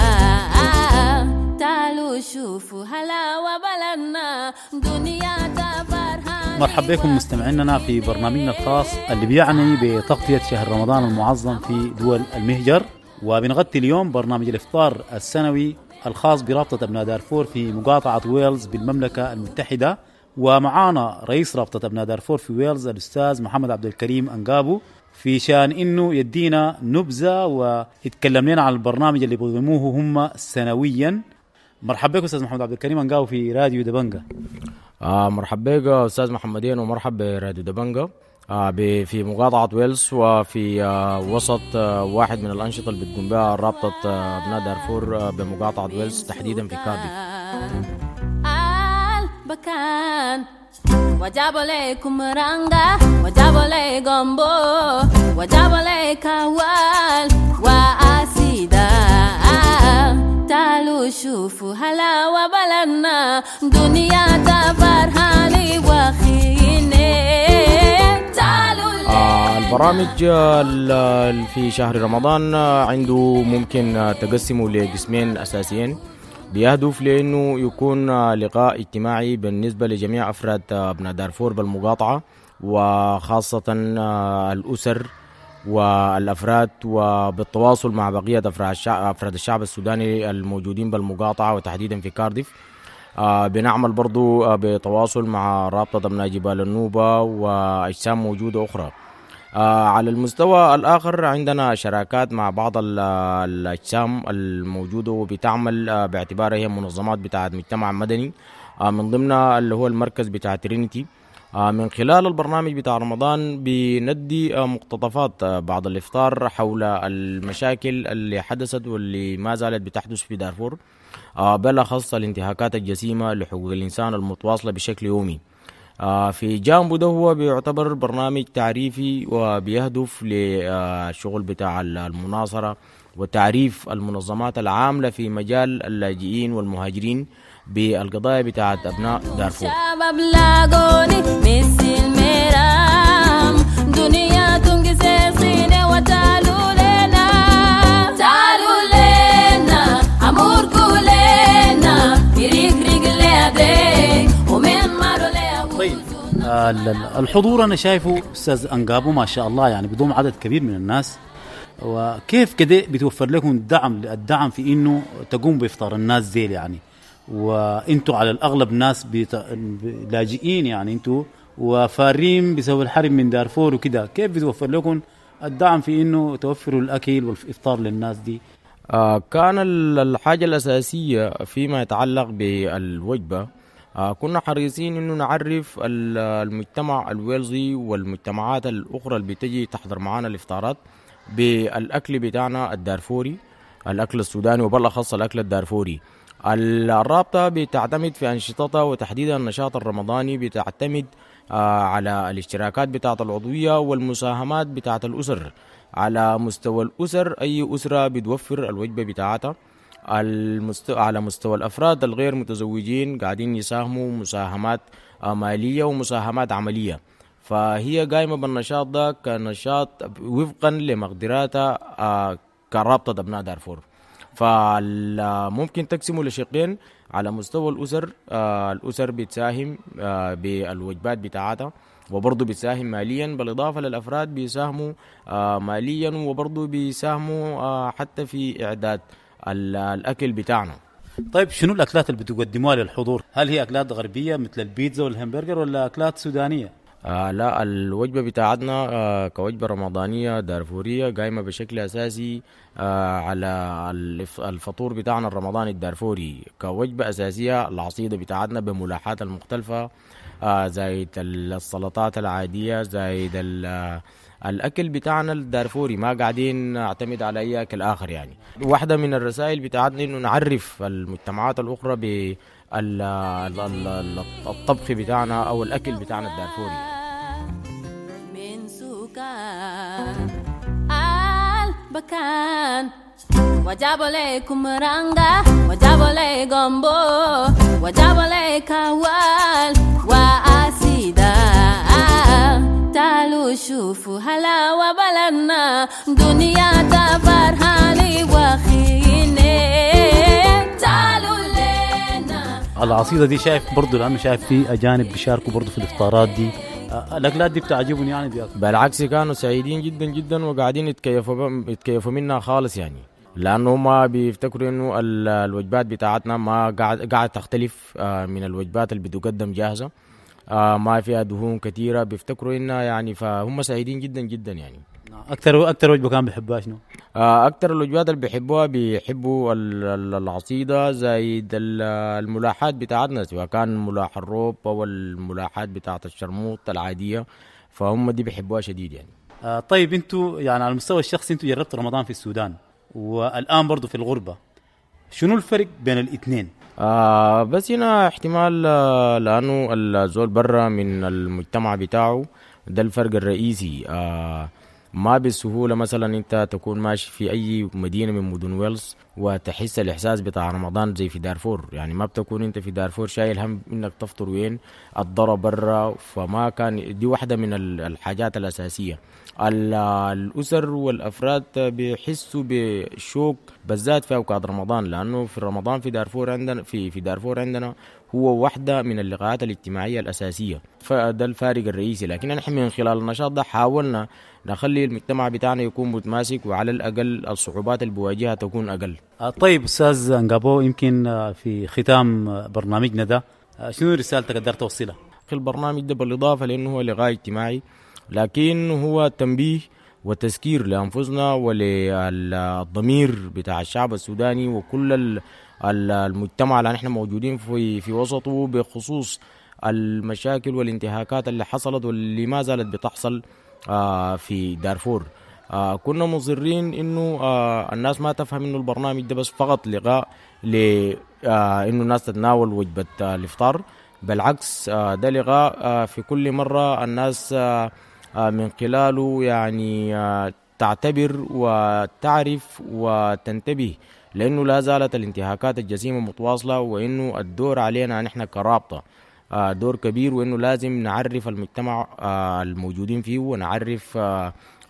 تعالوا شوفوا هلا وبلدنا دنيا تفرحان. مرحبا بكم مستمعينا في برنامجنا الخاص اللي بيعني بتغطية شهر رمضان المعظم في دول المهجر، وبنغطي اليوم برنامج الإفطار السنوي الخاص برابطة أبناء دارفور في مقاطعة ويلز بالمملكة المتحدة. ومعانا رئيس رابطة أبناء دارفور في ويلز الأستاذ محمد عبد الكريم أنقابو، في شان إنه يدينا نبذة ويتكلم لنا عن البرنامج اللي بيقدموه هم سنويا. مرحبا بك أستاذ محمد عبد الكريم أنقابو في راديو دبنجة. مرحبا بك أستاذ محمدين، ومرحبا براديو دبنجة في مقاطعة ويلز، وفي وسط واحد من الأنشطة اللي بتقوم بها رابطة أبناء دارفور بمقاطعة ويلز تحديدا في كارديف. بكان وجابوا لكم رانجا، وجابوا لي غombo، وجابوا لي كوال وأسيدا، تعالوا شوفوا هلا وبلدنا دنيا تفرحاني وخيني. تعالوا البرامج في شهر رمضان عنده ممكن تقسمه لقسمين أساسيين، بيهدف لأنه يكون لقاء اجتماعي بالنسبة لجميع أفراد أبناء دارفور بالمقاطعة، وخاصة الأسر والأفراد، وبالتواصل مع بقية أفراد الشعب السوداني الموجودين بالمقاطعة وتحديدا في كارديف. بنعمل برضو بتواصل مع رابطة أبناء جبال النوبة وأجسام موجودة أخرى. على المستوى الآخر عندنا شراكات مع بعض الأجسام الموجودة وبتعمل باعتبارها هي منظمات بتاعت مجتمع مدني، من ضمنها اللي هو المركز بتاع ترينيتي. من خلال البرنامج بتاع رمضان بندي مقتطفات بعض الإفطار حول المشاكل اللي حدثت واللي ما زالت بتحدث في دارفور، بالأخص الانتهاكات الجسيمة لحقوق الإنسان المتواصلة بشكل يومي. في جانبه ده هو بيعتبر برنامج تعريفي وبيهدف للشغل بتاع المناصرة وتعريف المنظمات العاملة في مجال اللاجئين والمهاجرين بالقضايا بتاعت أبناء دارفور. شباب لاقوني مثل الميرام دنيا تنقص وتعالوا لنا، تعالوا لنا أمور كلنا يريق رجلي ومن مروا. طيب الحضور أنا شايفه أستاذ أنقابو ما شاء الله يعني بيضم عدد كبير من الناس، وكيف كده بتوفر لكم الدعم في إنه تقوم بإفطار الناس زي يعني، وانتوا على الأغلب ناس لاجئين يعني انتوا وفارين بسبب الحرب من دارفور وكده، كيف بتوفر لكم الدعم في إنه توفروا الأكل والإفطار للناس دي؟ كان الحاجة الأساسية فيما يتعلق بالوجبة، كنا حريصين إنه نعرف المجتمع الويلزي والمجتمعات الأخرى اللي بتجي تحضر معانا الإفطارات بالأكل بتاعنا الدارفوري، الأكل السوداني وبالأخص الأكل الدارفوري. الرابطة بتعتمد في أنشطتها وتحديدا النشاط الرمضاني بتعتمد على الاشتراكات بتاعة العضوية والمساهمات بتاعة الأسر. على مستوى الأسر أي أسرة بتوفر الوجبة بتاعتها. على مستوى الأفراد الغير متزوجين قاعدين يساهموا مساهمات مالية ومساهمات عملية، فهي قايمة بالنشاط ده كنشاط وفقا لمقدراتها كرابطة أبناء دارفور. فممكن تقسمه لشقين: على مستوى الأسر، الأسر بتساهم بالوجبات بتاعتها وبرضه بتساهم ماليا، بالإضافة للأفراد بيساهموا ماليا وبرضه بيساهموا حتى في إعداد الأكل بتاعنا. طيب شنو الأكلات اللي بتقدموها للحضور؟ هل هي أكلات غربية مثل البيتزا والهمبرجر ولا أكلات سودانية؟ لا، الوجبة بتاعتنا كوجبة رمضانية دارفورية قايمة بشكل أساسي على الفطور بتاعنا الرمضاني الدارفوري. كوجبة أساسية العصيدة بتاعتنا بملاحات المختلفة، زايد السلطات العادية، زايد الأكل بتاعنا الدارفوري، ما قاعدين نعتمد على أي أكل آخر. يعني واحدة من الرسائل بتاعتنا إنه نعرف المجتمعات الأخرى بالطبخ بتاعنا أو الأكل بتاعنا الدارفوري. من سكان البكان وجابوا لكم رانجا وجابوا لي جامبو وجابوا لي كوال وأسيدا، تعالوا شوفوا هلاوة بلدنا دنيا تفرحاني وخيني تعالوا لنا. العصيدة دي شايف برضو، لأنه شايف في أجانب بيشاركوا برضو في الإفطارات دي، الأكلات دي بتعجبهم يعني بياكلوا؟ بالعكس كانوا سعيدين جدا جدا وقاعدين يتكيفوا منها خالص يعني، لأنه ما بيفتكروا إنه الوجبات بتاعتنا ما قاعد تختلف من الوجبات اللي بتقدم جاهزة، ما فيها دهون كثيرة، بيفتكروا إنها يعني، فهم سعيدين جدا جدا يعني. أكثر وجبة كان بيحبوها شنو؟ أكثر الوجبات اللي بيحبوها بيحبوا العصيدة زايد الملاحات بتاعتنا، سواء كان ملاح الروب أو الملاحات بتاعت الشرموط العادية، فهم دي بيحبوها شديد يعني. طيب انتوا يعني على المستوى الشخصي انتوا جربتوا رمضان في السودان والآن برضو في الغربة، شنو الفرق بين الاثنين؟ بس هنا احتمال لأنه الزول برا من المجتمع بتاعه، ده الفرق الرئيسي. ما بالسهولة مثلا انت تكون ماشي في اي مدينة من مدن ويلز وتحس الاحساس بتاع رمضان زي في دارفور، يعني ما بتكون انت في دارفور شايل هم انك تفطر وين، الضرب برا، فما كان دي واحدة من الحاجات الاساسية. الاسر والافراد بيحسوا بشوق بالذات في اوقات رمضان، لانه في رمضان في دارفور عندنا في دارفور عندنا هو واحدة من اللقاءات الاجتماعية الأساسية، فده الفارق الرئيسي. لكن نحن من خلال النشاط ده حاولنا نخلي المجتمع بتاعنا يكون متماسك، وعلى الأقل الصعوبات اللي بواجهها تكون أقل. طيب أستاذ أنقابو، يمكن في ختام برنامجنا ده شنو رسالتك قدرت توصلها؟ في البرنامج ده بالإضافة لأنه هو لقاء اجتماعي، لكن هو تنبيه وتذكير لأنفسنا وللضمير بتاع الشعب السوداني وكل المجتمع اللي نحن موجودين في وسطه بخصوص المشاكل والانتهاكات اللي حصلت واللي ما زالت بتحصل في دارفور. كنا مصرين انه الناس ما تفهم انه البرنامج ده بس فقط لقاء ل انه الناس تتناول وجبة الافطار، بالعكس ده لقاء في كل مرة الناس من خلاله يعني تعتبر وتعرف وتنتبه، لأنه لا زالت الانتهاكات الجسيمة متواصلة، وإنه الدور علينا نحن كرابطة دور كبير، وإنه لازم نعرف المجتمع الموجودين فيه ونعرف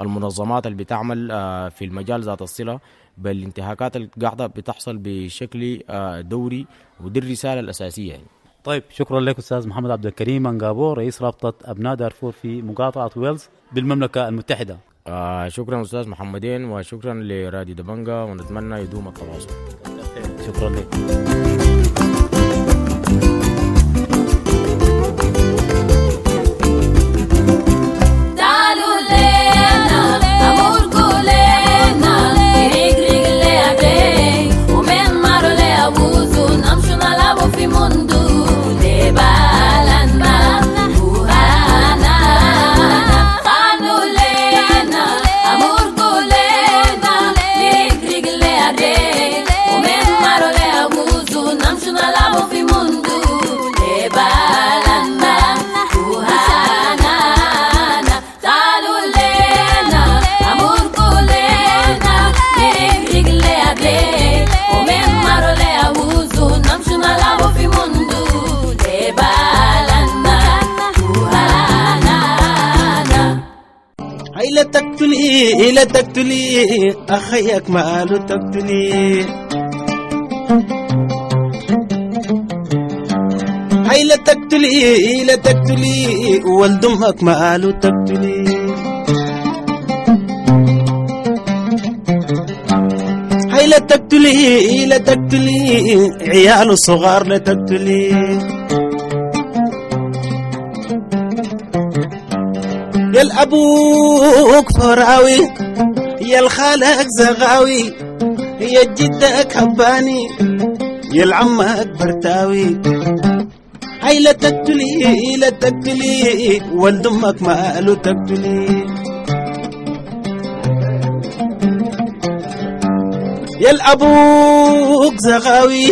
المنظمات اللي بتعمل في المجال ذات الصلة بالانتهاكات اللي قاعدة بتحصل بشكل دوري، ودي الرسالة الأساسية يعني. طيب، شكرا لك أستاذ محمد عبد الكريم منقابو، رئيس رابطة أبناء دارفور في مقاطعة ويلز بالمملكة المتحدة. شكرا أستاذ محمدين، وشكرا لراديو دبنجا، ونتمنى يدوم التواصل. شكرا لك. تعالوا لنا أموركوا لنا رجل لأبي ومن مارو لأبوزو نمشوا نلعبوا في مندو لبالنا وهانا. تعالوا لنا أموركوا لنا رجل لأبي ومن مارو لأبوزو نمشوا نلعبوا في مندو لبالنا وهانا. تعالوا لنا أموركوا لنا رجل لأبي ومن مارو لأبوزو نمشوا نلعبوا في مندو لبالنا وهانا. هاي لا تقتلي لا تقتلي أخيك ماله تقتلي، هاي لا تقتلي لا تقتلي ولد أمك ماله تقتلي، هاي لا تقتلي لا تقتلي عياله صغار لا تقتلي، يا الأبوك فراوي يا الخالك زغاوي يا جدك هباني يا العمك برتاوي، هاي لا تقتلي لا تقتلي ولد أمك ماله تقتلي، يا الأبوك زغاوي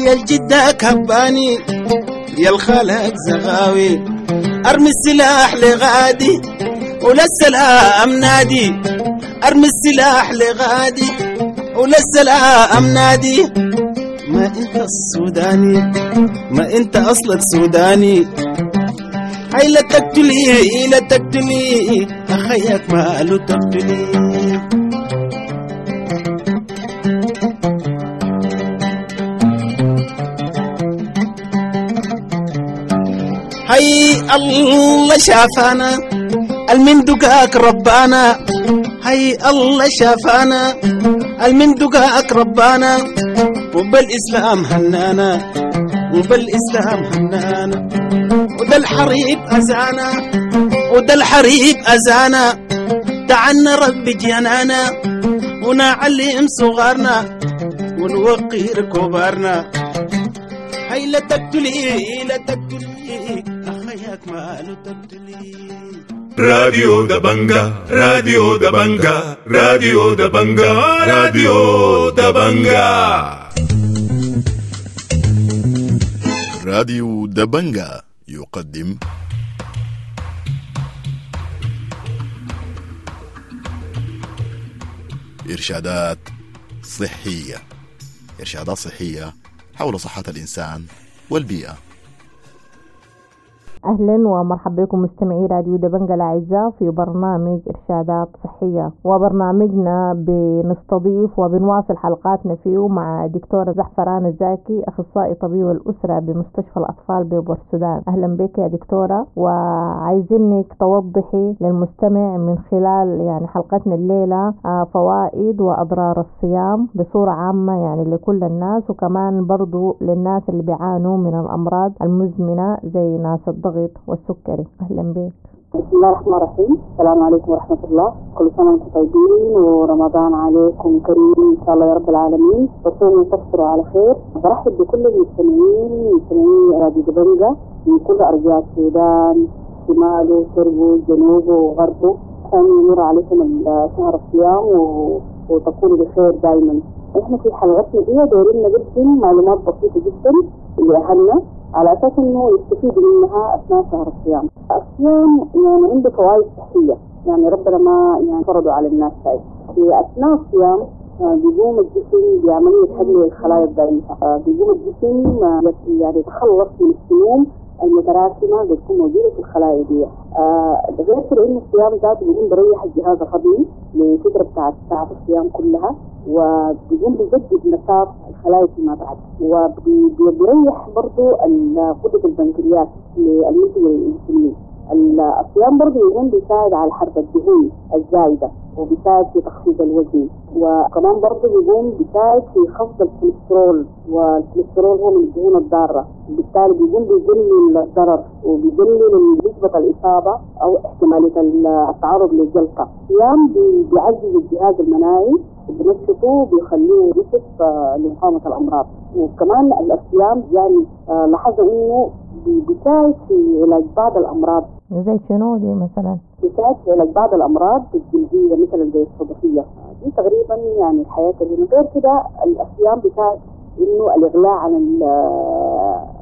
يا الجدك هباني يا الخالك زغاوي، ارمي السلاح لغادي ولا السلام نادي، ارمي السلاح لغادي ولا السلام نادي، ما انت السوداني ما انت اصلك سوداني، هاي لا تقتلي لا تقتلي اخيك ماله تقتلي. هاي الله شافانا المن دقاك ربانا، هاي الله شافانا المن دقاك ربانا، وبالإسلام هنانا وبالإسلام هنانا، وده الحريب أزانا وده الحريب أزانا، تعنا ربي جنانا ونعلم صغارنا ونوقر كبارنا، هاي لا تقتلي لا تقتلي أخيك ماله تقتلي. راديو دبنجا راديو دبنجا راديو دبنجا راديو دبنجا. راديو دبنجا يقدم إرشادات صحية، إرشادات صحية حول صحة الإنسان والبيئة. أهلا ومرحبا بكم مستمعي راديو دبنجا الأعزاء في برنامج إرشادات صحية، وبرنامجنا بنستضيف وبنواصل حلقاتنا فيه مع دكتورة زعفران الزاكي، أخصائي طبيب الأسرة بمستشفى الأطفال ببورسودان. أهلا بك يا دكتورة، وعايزينك توضحي للمستمع من خلال يعني حلقتنا الليلة فوائد وأضرار الصيام بصورة عامة يعني لكل الناس، وكمان برضو للناس اللي بيعانوا من الأمراض المزمنة زي ناس الضغط والسكري. أهلا بك. بسم الله الرحمن الرحيم. السلام عليكم ورحمة الله. كل سنة وانتم طيبين ورمضان عليكم كريم إن شاء الله يا رب العالمين، تصوموا وتفطروا على خير. برحب بكل المستمعين، مستمعي راديو دبنجة من كل أرجاء السودان، شماله شرقه جنوبه وغربه. أن يمر عليكم شهر الصيام وتكونوا بخير دائما. احنا في حلقتنا دي دايرين نقدم معلومات بسيطة جدا لأهلنا على أساس إنه يستفيدوا منها أثناء شهر الصيام. الصيام يعني عنده فوائد صحية، يعني ربنا ما يعني فرضه على الناس هاي. في أثناء الصيام بيقوم الجسم بعملية هدم الخلايا الضعيفة، بيقوم الجسم يعني يتخلص من السموم المتراكمة اللي بتكون موجودة في الخلايا دي. غير كده إنه الصيام ذاته بيقوم بريح الجهاز الهضمي لفترة بتاعت ساعات الصيام كلها، وبيقوم بيجدد نشاط الخلايا فيما بعد، وبيريح برضو قدرة البنكرياس للمنتج الإنسولين. الصيام برضو يقوم بيساعد على حرق الدهون الزايدة، وبيساعد في تخفيض الوزن، وكمان برضو بيقوم بيساعد في خفض الكوليسترول، والكوليسترول هو من الدهون الضارة، وبالتالي بيقوم بيقلل الضرر وبيقلل نسبة الإصابة أو احتمالية التعرض للجلطة. الصيام بيعزز الجهاز المناعي وبنشطه وبيخليه نشط لمقاومة الأمراض. وكمان الصيام يعني لاحظوا إنه بيساعد في علاج بعض الأمراض. زي شنو دي مثلا؟ بيساعد في علاج بعض الأمراض الجلدية مثلا زي الصدفية دي تقريبا، يعني الحياة اللي غير كده. الصيام بيساعد إنه الإغلاء عن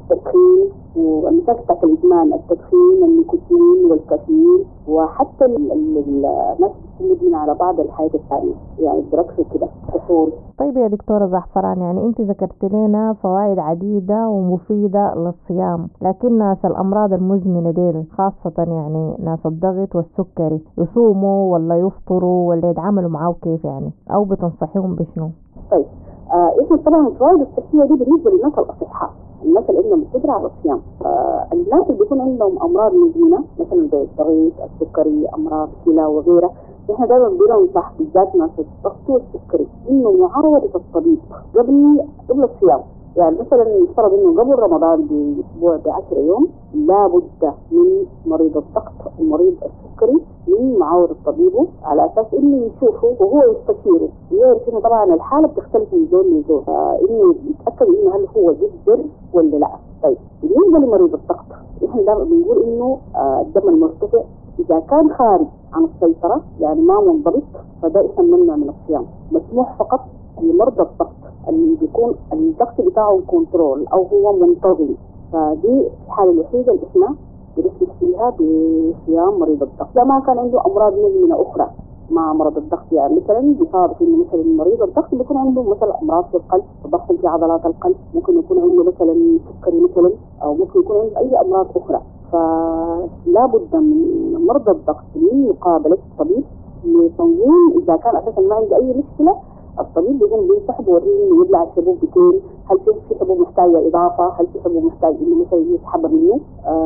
التدخين والمشاكل بتاعت الإدمان، التدخين، النيكوتين والكافيين، وحتى الناس بتكون مدمنة على بعض الحياة الثانية يعني الدركس وكده كحول. طيب يا دكتورة زعفران، يعني أنت ذكرت لنا فوائد عديدة ومفيدة للصيام، لكن ناس الأمراض المزمنة ديل خاصة يعني ناس الضغط والسكري يصوموا ولا يفطروا ولا يتعاملوا معاه كيف يعني، أو بتنصحيهم بشنو؟ طيب إحنا طبعا الفوائد الصحية دي بالنسبة للناس الأصحاء، الناس اللي عندهم قدرة على الصيام. الناس اللي بيكون عندهم أمراض مزمنة مثلا زي الضغط، السكري، أمراض كلى وغيرها، احنا دايما بننصح بالذات ناس الضغط والسكري انه معاوضة الطبيب قبل الصيام. يعني مثلا نفترض انه قبل رمضان باسبوع ب10 يوم لابد من مريض الضغط ومريض السكري من معاوضة طبيبه على اساس انه يشوفه وهو يستشيره، ويعرف انه طبعا الحالة بتختلف من زول لزول، انه يتاكد انه هل هو بيقدر ولا لا. طيب بالنسبة لمريض الضغط احنا دائما بنقول انه الدم المرتفع اذا كان خارج عن السيطرة يعني ما منضبط فده احنا بنمنع من الصيام. مسموح فقط لمرضى الضغط اللي بيكون الضغط بتاعه control او هو منتظم، فدي الحالة الوحيدة اللي احنا بنسمح فيها بصيام مريض الضغط. لا ما كان عنده امراض مزمنة اخرى مع مرض الضغط، يعني مثلا بيصادف انه مثلا مريض الضغط بيكون عنده مثلا امراض في القلب، تضخم في عضلات القلب، ممكن يكون عنده مثلا سكري مثلا، او ممكن يكون عنده اي امراض اخرى. فلا بد من مرضى الضغط من مقابله الطبيب لتنظيم اذا كان اساسا ما عنده اي مشكلة. الطبيب بيقوم بينصح بوريه انه يبلع الحبوب بكين، هل في حبوب محتاجه اضافه، هل في حبوب محتاج انه مثلا يسحبها منه.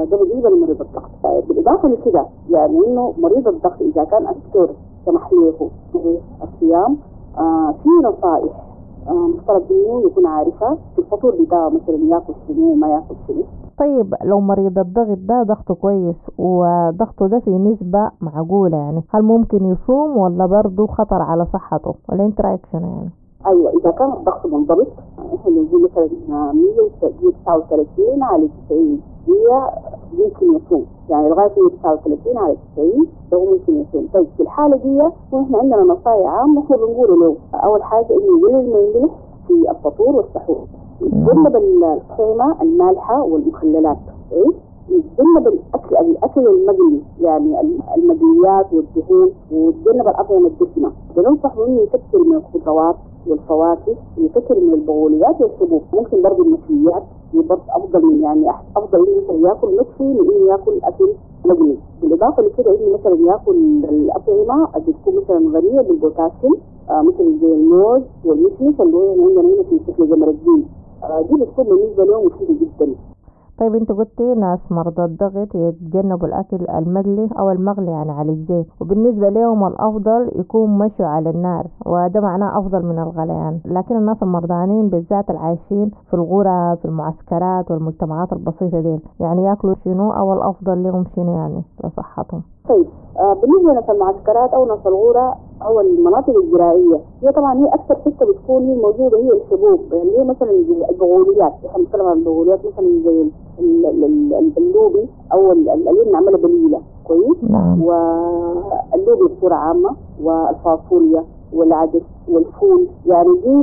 ده بالنسبة لمريض الضغط. بالاضافة لكده يعني انه مريض الضغط اذا كان الدكتور سمح له بالصيام في نصائح مفترض انه يكون عارفها في الفطور بتاعه، مثلا ياكل شنو وما ياكل شنو. طيب لو مريض الضغط ده ضغطه كويس وضغطه ده في نسبة معقولة، يعني هل ممكن يصوم ولا برضه خطر على صحته، ولا انت رايك شنو يعني؟ ايوه اذا كان الضغط منضبط احنا بنقول مثلا 139 على 90 هي ممكن يصوم، يعني لغاية 139 على 90 ده ممكن يصوم. طيب في الحالة دي واحنا عندنا نصائح عامة احنا بنقول له اول حاجة انه يقلل من الملح في الفطور والسحور، يتجنب الطعمة المالحة والمخللات، يتجنب الأكل المقلي يعني المقليات والدهون، ويتجنب الأطعمة الدسمة. بننصحه إنه يكثر من الخضروات والفواكه، ويكثر من البقوليات والحبوب، ممكن برضه المشويات برضه أفضل من يعني أفضل إنه مثلا ياكل مشوي من إنه ياكل أكل مقلي. بالإضافة لكده إنه مثلا ياكل الأطعمة اللي بتكون مثلا غنية بالبوتاسيوم، مثلا زي الموز والمشمش اللي هو عندنا هنا في شكل جمر الدين، دي بتكون بالنسبة لهم مفيدة جدا. طيب انت قلتي ناس مرضى الضغط يتجنبوا الاكل المقلي او المغلي يعني على الزيت، وبالنسبة لهم الافضل يكون مشوا على النار، وده معناه افضل من الغليان. لكن الناس المرضانين بالذات العايشين في الغرف في المعسكرات والمجتمعات البسيطة دي، يعني ياكلوا شنو او الافضل لهم شنو يعني لصحتهم؟ طيب بالنسبة لناس المعسكرات او ناس الغورة او المناطق الزراعية، هي طبعا هي اكثر حتة بتكون هي موجودة هي الحبوب، اللي هي مثلا زي البغوليات. احنا بنتكلم عن البغوليات مثلا زي اللوبي او اللي بنعملها بليلة، كويس؟ نعم. واللوبي بصورة عامة والفاصوليا والعدس والفول، يعني دي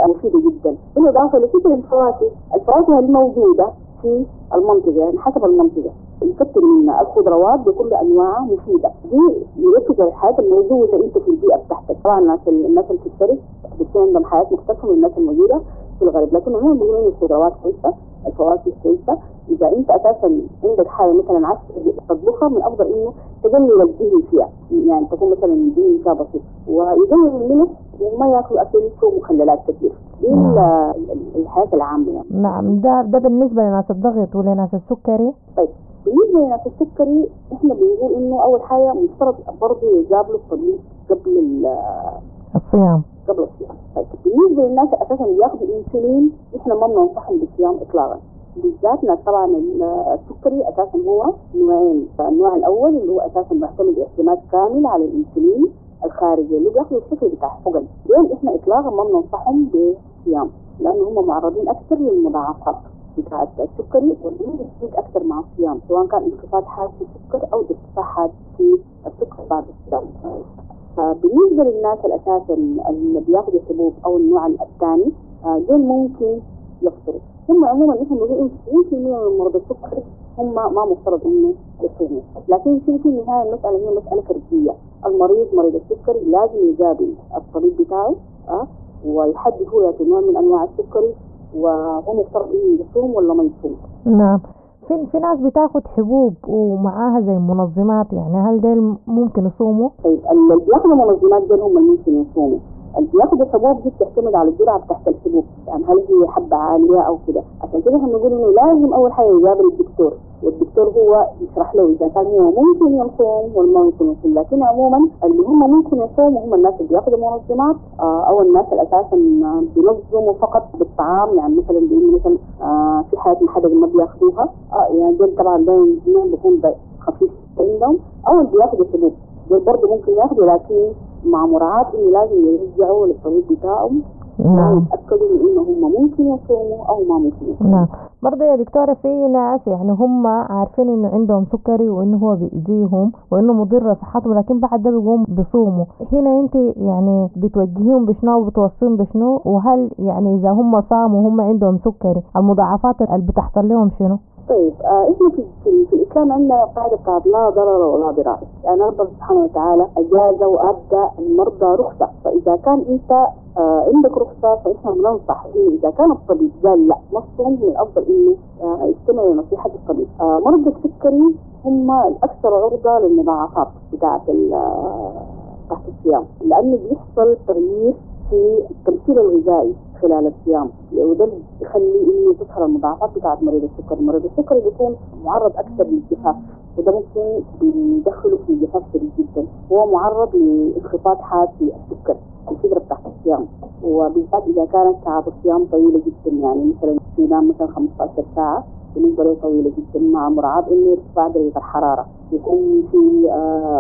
مفيدة جدا. بالاضافة لكثر الفواكه الموجودة في المنطقة، يعني حسب المنطقة يكتر منها. الخضروات بكل انواعها مفيدة، دي يركز على الحياة الموجودة انت في البيئة بتاعتك. طبعا الناس اللي في الشرق بتكون عندهم حياة مختلفة من الناس الموجودة في الغرب، لكن عموما بيقولوا ان الخضروات كويسة، الفواكه كويسة. اذا انت اساسا عندك حاجة مثلا عايز تطبخها، من الافضل انه تقلل الدهن فيها، يعني تكون مثلا الدهن فيها بسيط، ويقلل الملح وما ياكل اكل فيه مخللات كثير. دي الحياة العامة يعني. نعم، ده بالنسبة لناس الضغط ولناس السكري. طيب بالنسبة لناس السكري احنا بنقول انه اول حاجة مفترض برضه يقابلوا الطبيب قبل الصيام. قبل الصيام. طيب بالنسبة للناس اساسا اللي بياخذوا انسولين، احنا ما بننصحهم بالصيام اطلاقا، بالذات ناس طبعا السكري اساسا هو نوعين. النوع الاول اللي هو اساسا معتمد اعتماد كامل على الانسولين الخارجي اللي بياخذوا الشكل بتاع حقن، دول احنا اطلاقا ما بننصحهم بالصيام، لانه هم معرضين اكثر للمضاعفات بتاعت السكري، واللي بتزيد اكثر مع الصيام، سواء كان انخفاض حاد في السكر او ارتفاع حاد في السكر بعد الصيام. فبالنسبه للناس الاساسا اللي بياخذوا حبوب او النوع الثاني، دول ممكن يفطروا. هم عموما احنا بنقول 90% من مرضى السكر هم ما مفترض انه يصوموا، لكن شنو في النهاية المسالة هي مسالة فردية. المريض مريض السكري لازم يقابل الطبيب بتاعه ويحدد هو يعطي نوع من انواع السكري، وهو مفترض انه يصوم ولا ما يصوم. نعم، في ناس بتاخد حبوب ومعاها زي منظمات، يعني هل ديل ممكن يصوموا؟ طيب اللي بياخدوا منظمات ديل هم اللي ممكن يصوموا. اللي بياخدوا حبوب دي بتعتمد على الجرعة بتاعت الحبوب، يعني هل هي حبه عالية او كده. عشان كده احنا بنقول انه لازم اول حاجة يقابل الدكتور، والدكتور هو يشرح له اذا كان هو ممكن يصوم ولا ما ممكن يصوم. لكن عموما اللي هم ممكن يصوموا هم الناس اللي بياخدوا منظمات، او الناس اللي اساسا بينظموا فقط بالطعام، يعني مثلا بانه مثلا في حالات محددة ما بياخدوها، يعني دول طبعا ده نوع بيكون خفيف عندهم، او اللي بياخدوا حبوب دول برضه ممكن ياخدوا، لكن مع مراعاة انه لازم يرجعوا للطبيب بتاعهم. نعم. يتأكدوا من انه هم ممكن يصوموا او ما ممكن يصوموا. نعم، برضه يا دكتورة في ناس يعني هم عارفين انه عندهم سكري وانه هو بيأذيهم وانه مضر لصحتهم، لكن بعد ده بيقوم بيصوموا. هنا انت يعني بتوجهيهم بشنو وبتوصيهم بشنو؟ وهل يعني اذا هم صاموا وهم عندهم سكري المضاعفات اللي بتحصل لهم شنو؟ طيب احنا في الاسلام عندنا قاعدة بتاعت لا ضرر ولا ضرار، يعني ربنا سبحانه وتعالى اجاز وادى المرضى رخصه، فاذا كان انت عندك رخصه فاحنا بننصح انه اذا كان الطبيب قال لا ما تصوم، من الافضل انه يستمع لنصيحه الطبيب. مرضى السكري هم الاكثر عرضه للمضاعفات بتاعت تحت الصيام، لانه بيحصل تغيير في التمثيل الغذائي خلال الصيام، وده اللي بيخلي انه تظهر المضاعفات بتاعت مريض السكر. مريض السكر بيكون معرض اكثر للجفاف، وده ممكن بيدخله في جفاف شديد جدا، هو معرض لانخفاض حاد في السكر الفترة بتاعت الصيام، وبالذات اذا كانت ساعات الصيام طويلة جدا، يعني مثلا ينام مثلا 15 ساعة بالنسبة له طويلة جدا، مع مراعاة انه ارتفاع درجه الحرارة، يكون في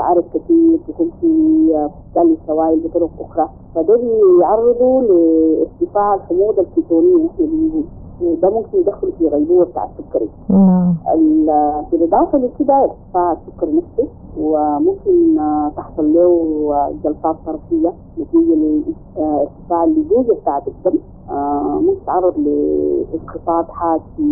عرق كثير، يكون في تقلل السوائل بطرق اخرى، فده بيعرضه لارتفاع الحموضة الكيتونيه احنا بنقول، وده ممكن يدخله في غيبوبة بتاع السكري. نعم. بالاضافة لكده ارتفاع السكر نفسه، وممكن تحصل له جلطات طرفيه نتيجة لارتفاع اللزوجه بتاعت الدم، ممكن تتعرض لانخفاض حاد في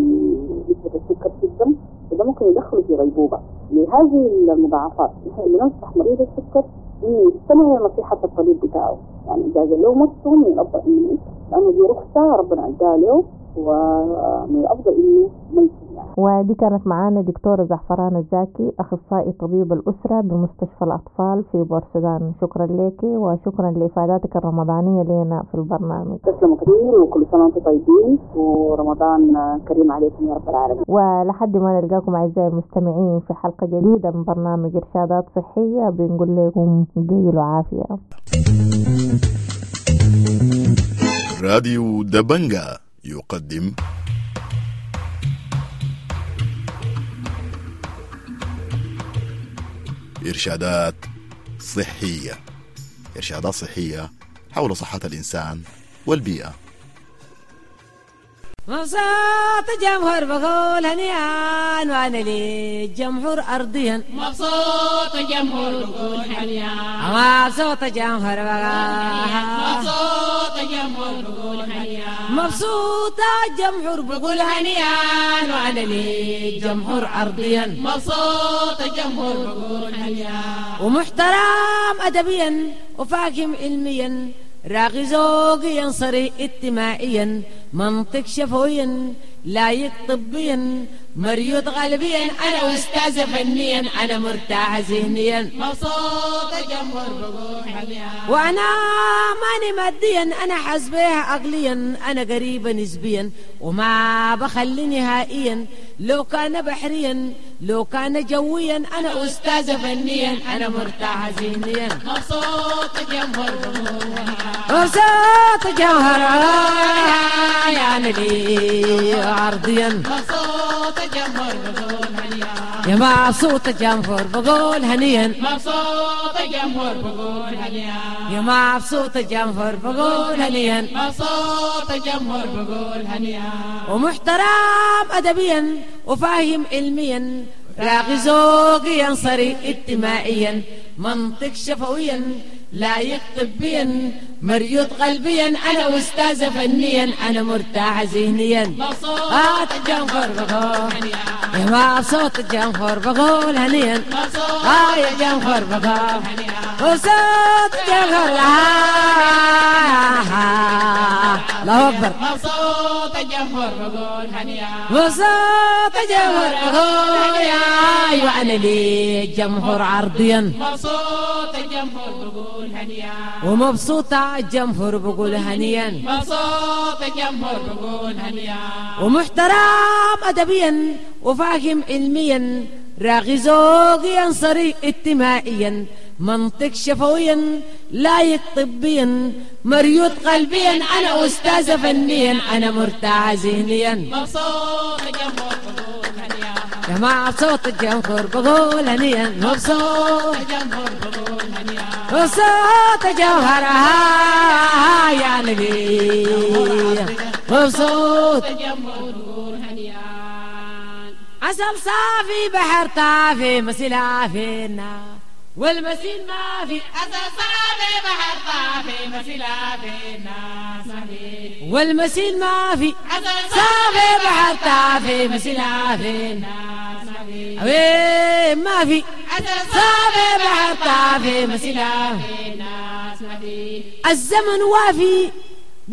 نسبه السكر في الدم، وده ممكن يدخله في غيبوبة. لهذه المضاعفات نحن بننصح مريض السكر انه يستمع لنصيحه الطبيب بتاعه، يعني اذا قال له ما تصوم من الافضل انه، لانه دي رخصه ربنا اداها له، ومن الافضل انه ما يصوم يعني. ودي كانت معانا دكتورة زعفران الزاكي، أخصائي طبيب الأسرة بمستشفى الأطفال في بورسودان. شكرا لك وشكرا لإفاداتك الرمضانية لنا في البرنامج. تسلموا كثير، وكل سنة وأنتم طيبين، ورمضان كريم عليكم يا رب العالمين. ولحد ما نلقاكم أعزائي المستمعين في حلقة جديدة من برنامج إرشادات صحية، بنقول لكم قيلوا عافية. راديو دبنجا يقدم إرشادات صحية، إرشادات صحية حول صحة الإنسان والبيئة. مبسوط الجمهور بقول هنيئا، وانا للجمهور ارضيا. مبسوط الجمهور بقول هنيئا، مبسوط الجمهور بقول، مبسوط الجمهور بقول هنيئا، مبسوط الجمهور بقول هنيئا، وانا للجمهور ارضيا. مبسوط الجمهور بقول هنيئا، ومحترم ادبيا وفاهم علميا، راغي ذوقيا صريح اجتماعيا، منطق شفويا لايق طبيا، مريض غالبيا، انا استاذ فنيا، انا مرتاح ذهنيا. مبسوط الجمهور بقول هنيئا، وانا ماني ماديا، انا حاسبها عقليا، انا قريبه نسبيا، وما بخلي نهائيا، لو كان بحريا لو كان جويا، انا استاذ فنيا، انا مرتاح ذهنيا. مبسوط الجمهور بقول هنيئا، مبسوط الجمهور يا نبي عرضيا. مبسوط الجمهور بقول هنيئا، يا مبسوط الجمهور بقول هنيئا. مبسوط الجمهور بقول هنيئا، يا مبسوط الجمهور بقول هنيئا. مبسوط الجمهور بقول هنيئا، ومحترم أدبيا وفاهم علميا، راغي ذوقيا صريح اجتماعيا، منطق شفويا لايق طبيا، مريض قلبيا، انا استاذ فنيا، انا مرتاح ذهنيا. مبسوط الجمهور بقول يا مبسوط الجمهور بقول هنيئا، يا جمهور بقول مبسوط الجمهور. الله اكبر. مبسوط الجمهور بقول هنيئا، مبسوط الجمهور بقول هنيئا، وانا للجمهور عرضيا. مبسوط الجمهور بقول هنيئا، ومبسوطة الجمهور بقول هنيئا. مبسوط الجمهور بقول هنيئا، ومحترم أدبيا وفاهم علميا، راغي ذوقيا صريح اجتماعيا، منطق شفويا لايق طبيا، مريض قلبيا، انا استاذ فنيا، انا مرتاح ذهنيا. مبسوط الجمهور بقول هنيئا، يا مبسوط الجمهور بقول هنيئا. مبسوط الجمهور بقول هنيئا، مبسوط الجوهر يا نبي. مبسوط الجمهور بقول هنيئا، عسل صافي بحر طافي مسيلة فينا والمسيل ما في. عسل صافي بحر طافي مسيلة فينا والمسيل ما في. عسل صافي بحر طافي مسيلة فينا وين ما في. عسل صافي بحر طافي مسيلة فينا الزمن وافي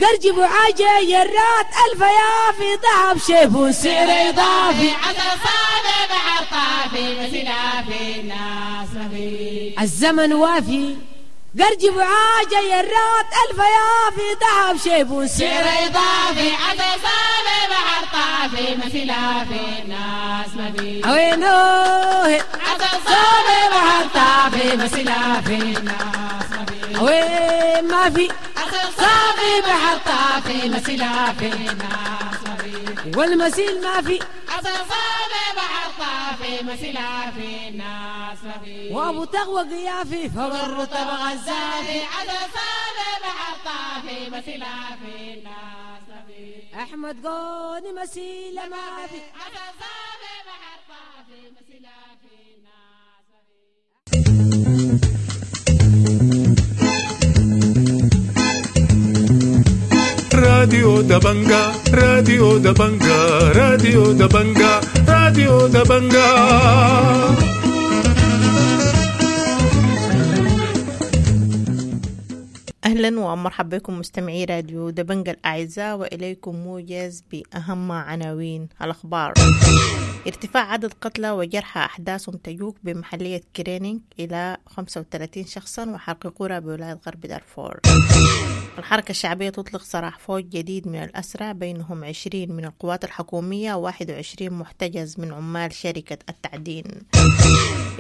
قرجب وعاجة يرات ألف يافي ذهب شيب وسعر إضافي. عسل صافي بحر طافي مسيلة فينا الزمن وافي قرجب وعاجة يرات ألف يافي ذهب شيب وسعر إضافي. عسل صافي بحر طافي مسيلة فينا وينه عسل صافي بحر طافي مسيلة فينا وين ما في. صافي بحر طافي مسيلة فينا والمسيل ما في. عسل صافي بحر طافي مسيلة فينا وابو تغوى قيافي فوق الرطب غزافي. عسل صافي بحر طافي مسيلة فينا احمد قوني مسيلة ما في. عسل صافي بحر طافي مسيلة فينا. راديو دبنجا، راديو دبنجا، راديو دبنجا، راديو دبنجا. أهلا ومرحبا بكم مستمعي راديو دبنجا الأعزاء، وإليكم موجز بأهم عناوين الأخبار. ارتفاع عدد قتلى وجرحى أحداث تجوك بمحلية كرينينج إلى 35 شخصا وحرق قرى بولاية غرب دارفور. الحركة الشعبية تطلق سراح فوج جديد من الأسرى بينهم 20 من القوات الحكومية و21 محتجز من عمال شركة التعدين.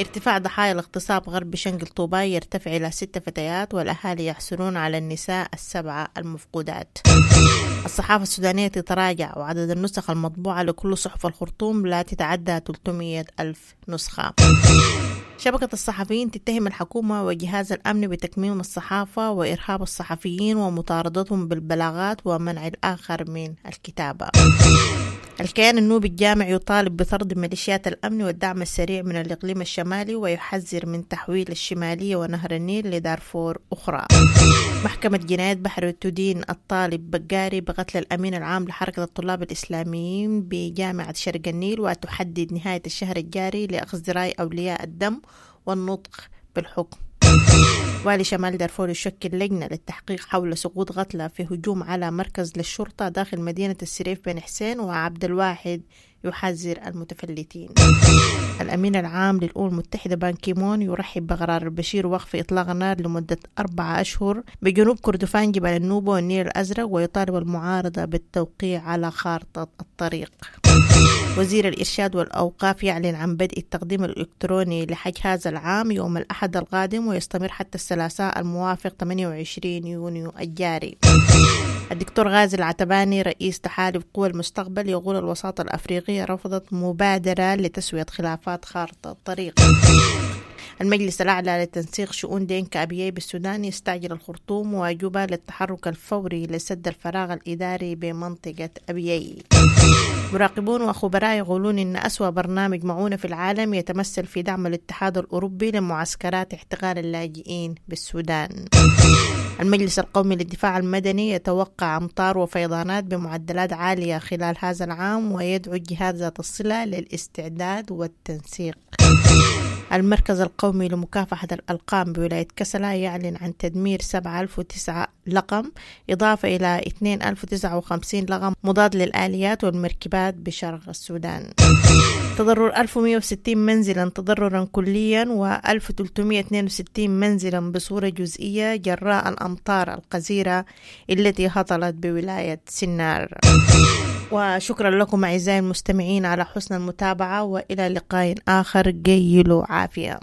ارتفاع ضحايا الاغتصاب غرب شنقل طوباي يرتفع إلى 6 فتيات والأهالي يحصلون على النساء 7 المفقودات. الصحافة السودانية تتراجع وعدد النسخ المطبوعة لكل صحف الخرطوم لا تتعدى 300 ألف نسخة. شبكة الصحفيين تتهم الحكومة وجهاز الأمن بتكميم الصحافة وإرهاب الصحفيين ومطاردتهم بالبلاغات ومنع الآخر من الكتابة. الكيان النوبي الجامع يطالب بطرد ميليشيات الأمن والدعم السريع من الإقليم الشمالي ويحذر من تحويل الشمالية ونهر النيل لدارفور أخرى. محكمة جنايات بحر تدين الطالب بقاري بقتل الأمين العام لحركة الطلاب الإسلاميين بجامعة شرق النيل وتحدد نهاية الشهر الجاري لأخذ رأي أولياء الدم والنطق بالحكم. والي شمال دارفور يشكل لجنة للتحقيق حول سقوط قتلى في هجوم على مركز للشرطة داخل مدينة السريف بن حسين، وعبد الواحد يحذر المتفلتين. الأمين العام للأمم المتحدة بان كيمون يرحب بقرار البشير وقف إطلاق النار لمدة 4 أشهر بجنوب كردفان جبال النوبة والنيل الأزرق، ويطالب المعارضة بالتوقيع على خارطة الطريق. وزير الإرشاد والأوقاف يعلن عن بدء التقديم الإلكتروني لحج هذا العام يوم الأحد القادم ويستمر حتى الثلاثاء الموافق 28 يونيو الجاري. الدكتور غازي العتباني رئيس تحالف قوى المستقبل يقول الوساطة الأفريقية رفضت مبادرة لتسوية خلافات خارطة الطريق. المجلس الأعلى لتنسيق شؤون دينكا أبيي بالسودان يستعجل الخرطوم وجوبا للتحرك الفوري لسد الفراغ الإداري بمنطقة أبيي. مراقبون وخبراء يقولون إن أسوأ برنامج معونة في العالم يتمثل في دعم الاتحاد الأوروبي لمعسكرات احتقال اللاجئين بالسودان. المجلس القومي للدفاع المدني يتوقع أمطار وفيضانات بمعدلات عالية خلال هذا العام ويدعو الجهات ذات الصلة للاستعداد والتنسيق. المركز القومي لمكافحة الألقام بولاية كسلا يعلن عن تدمير 7009 لقم إضافة إلى 2059 لقم مضاد للآليات والمركبات بشرق السودان. تضرر 1160 منزلا تضررا كليا و1362 منزلا بصورة جزئية جراء الأمطار الغزيرة التي هطلت بولاية سنار. وشكرا لكم أعزائي المستمعين على حسن المتابعة، وإلى لقاء آخر. قيلوا عافية.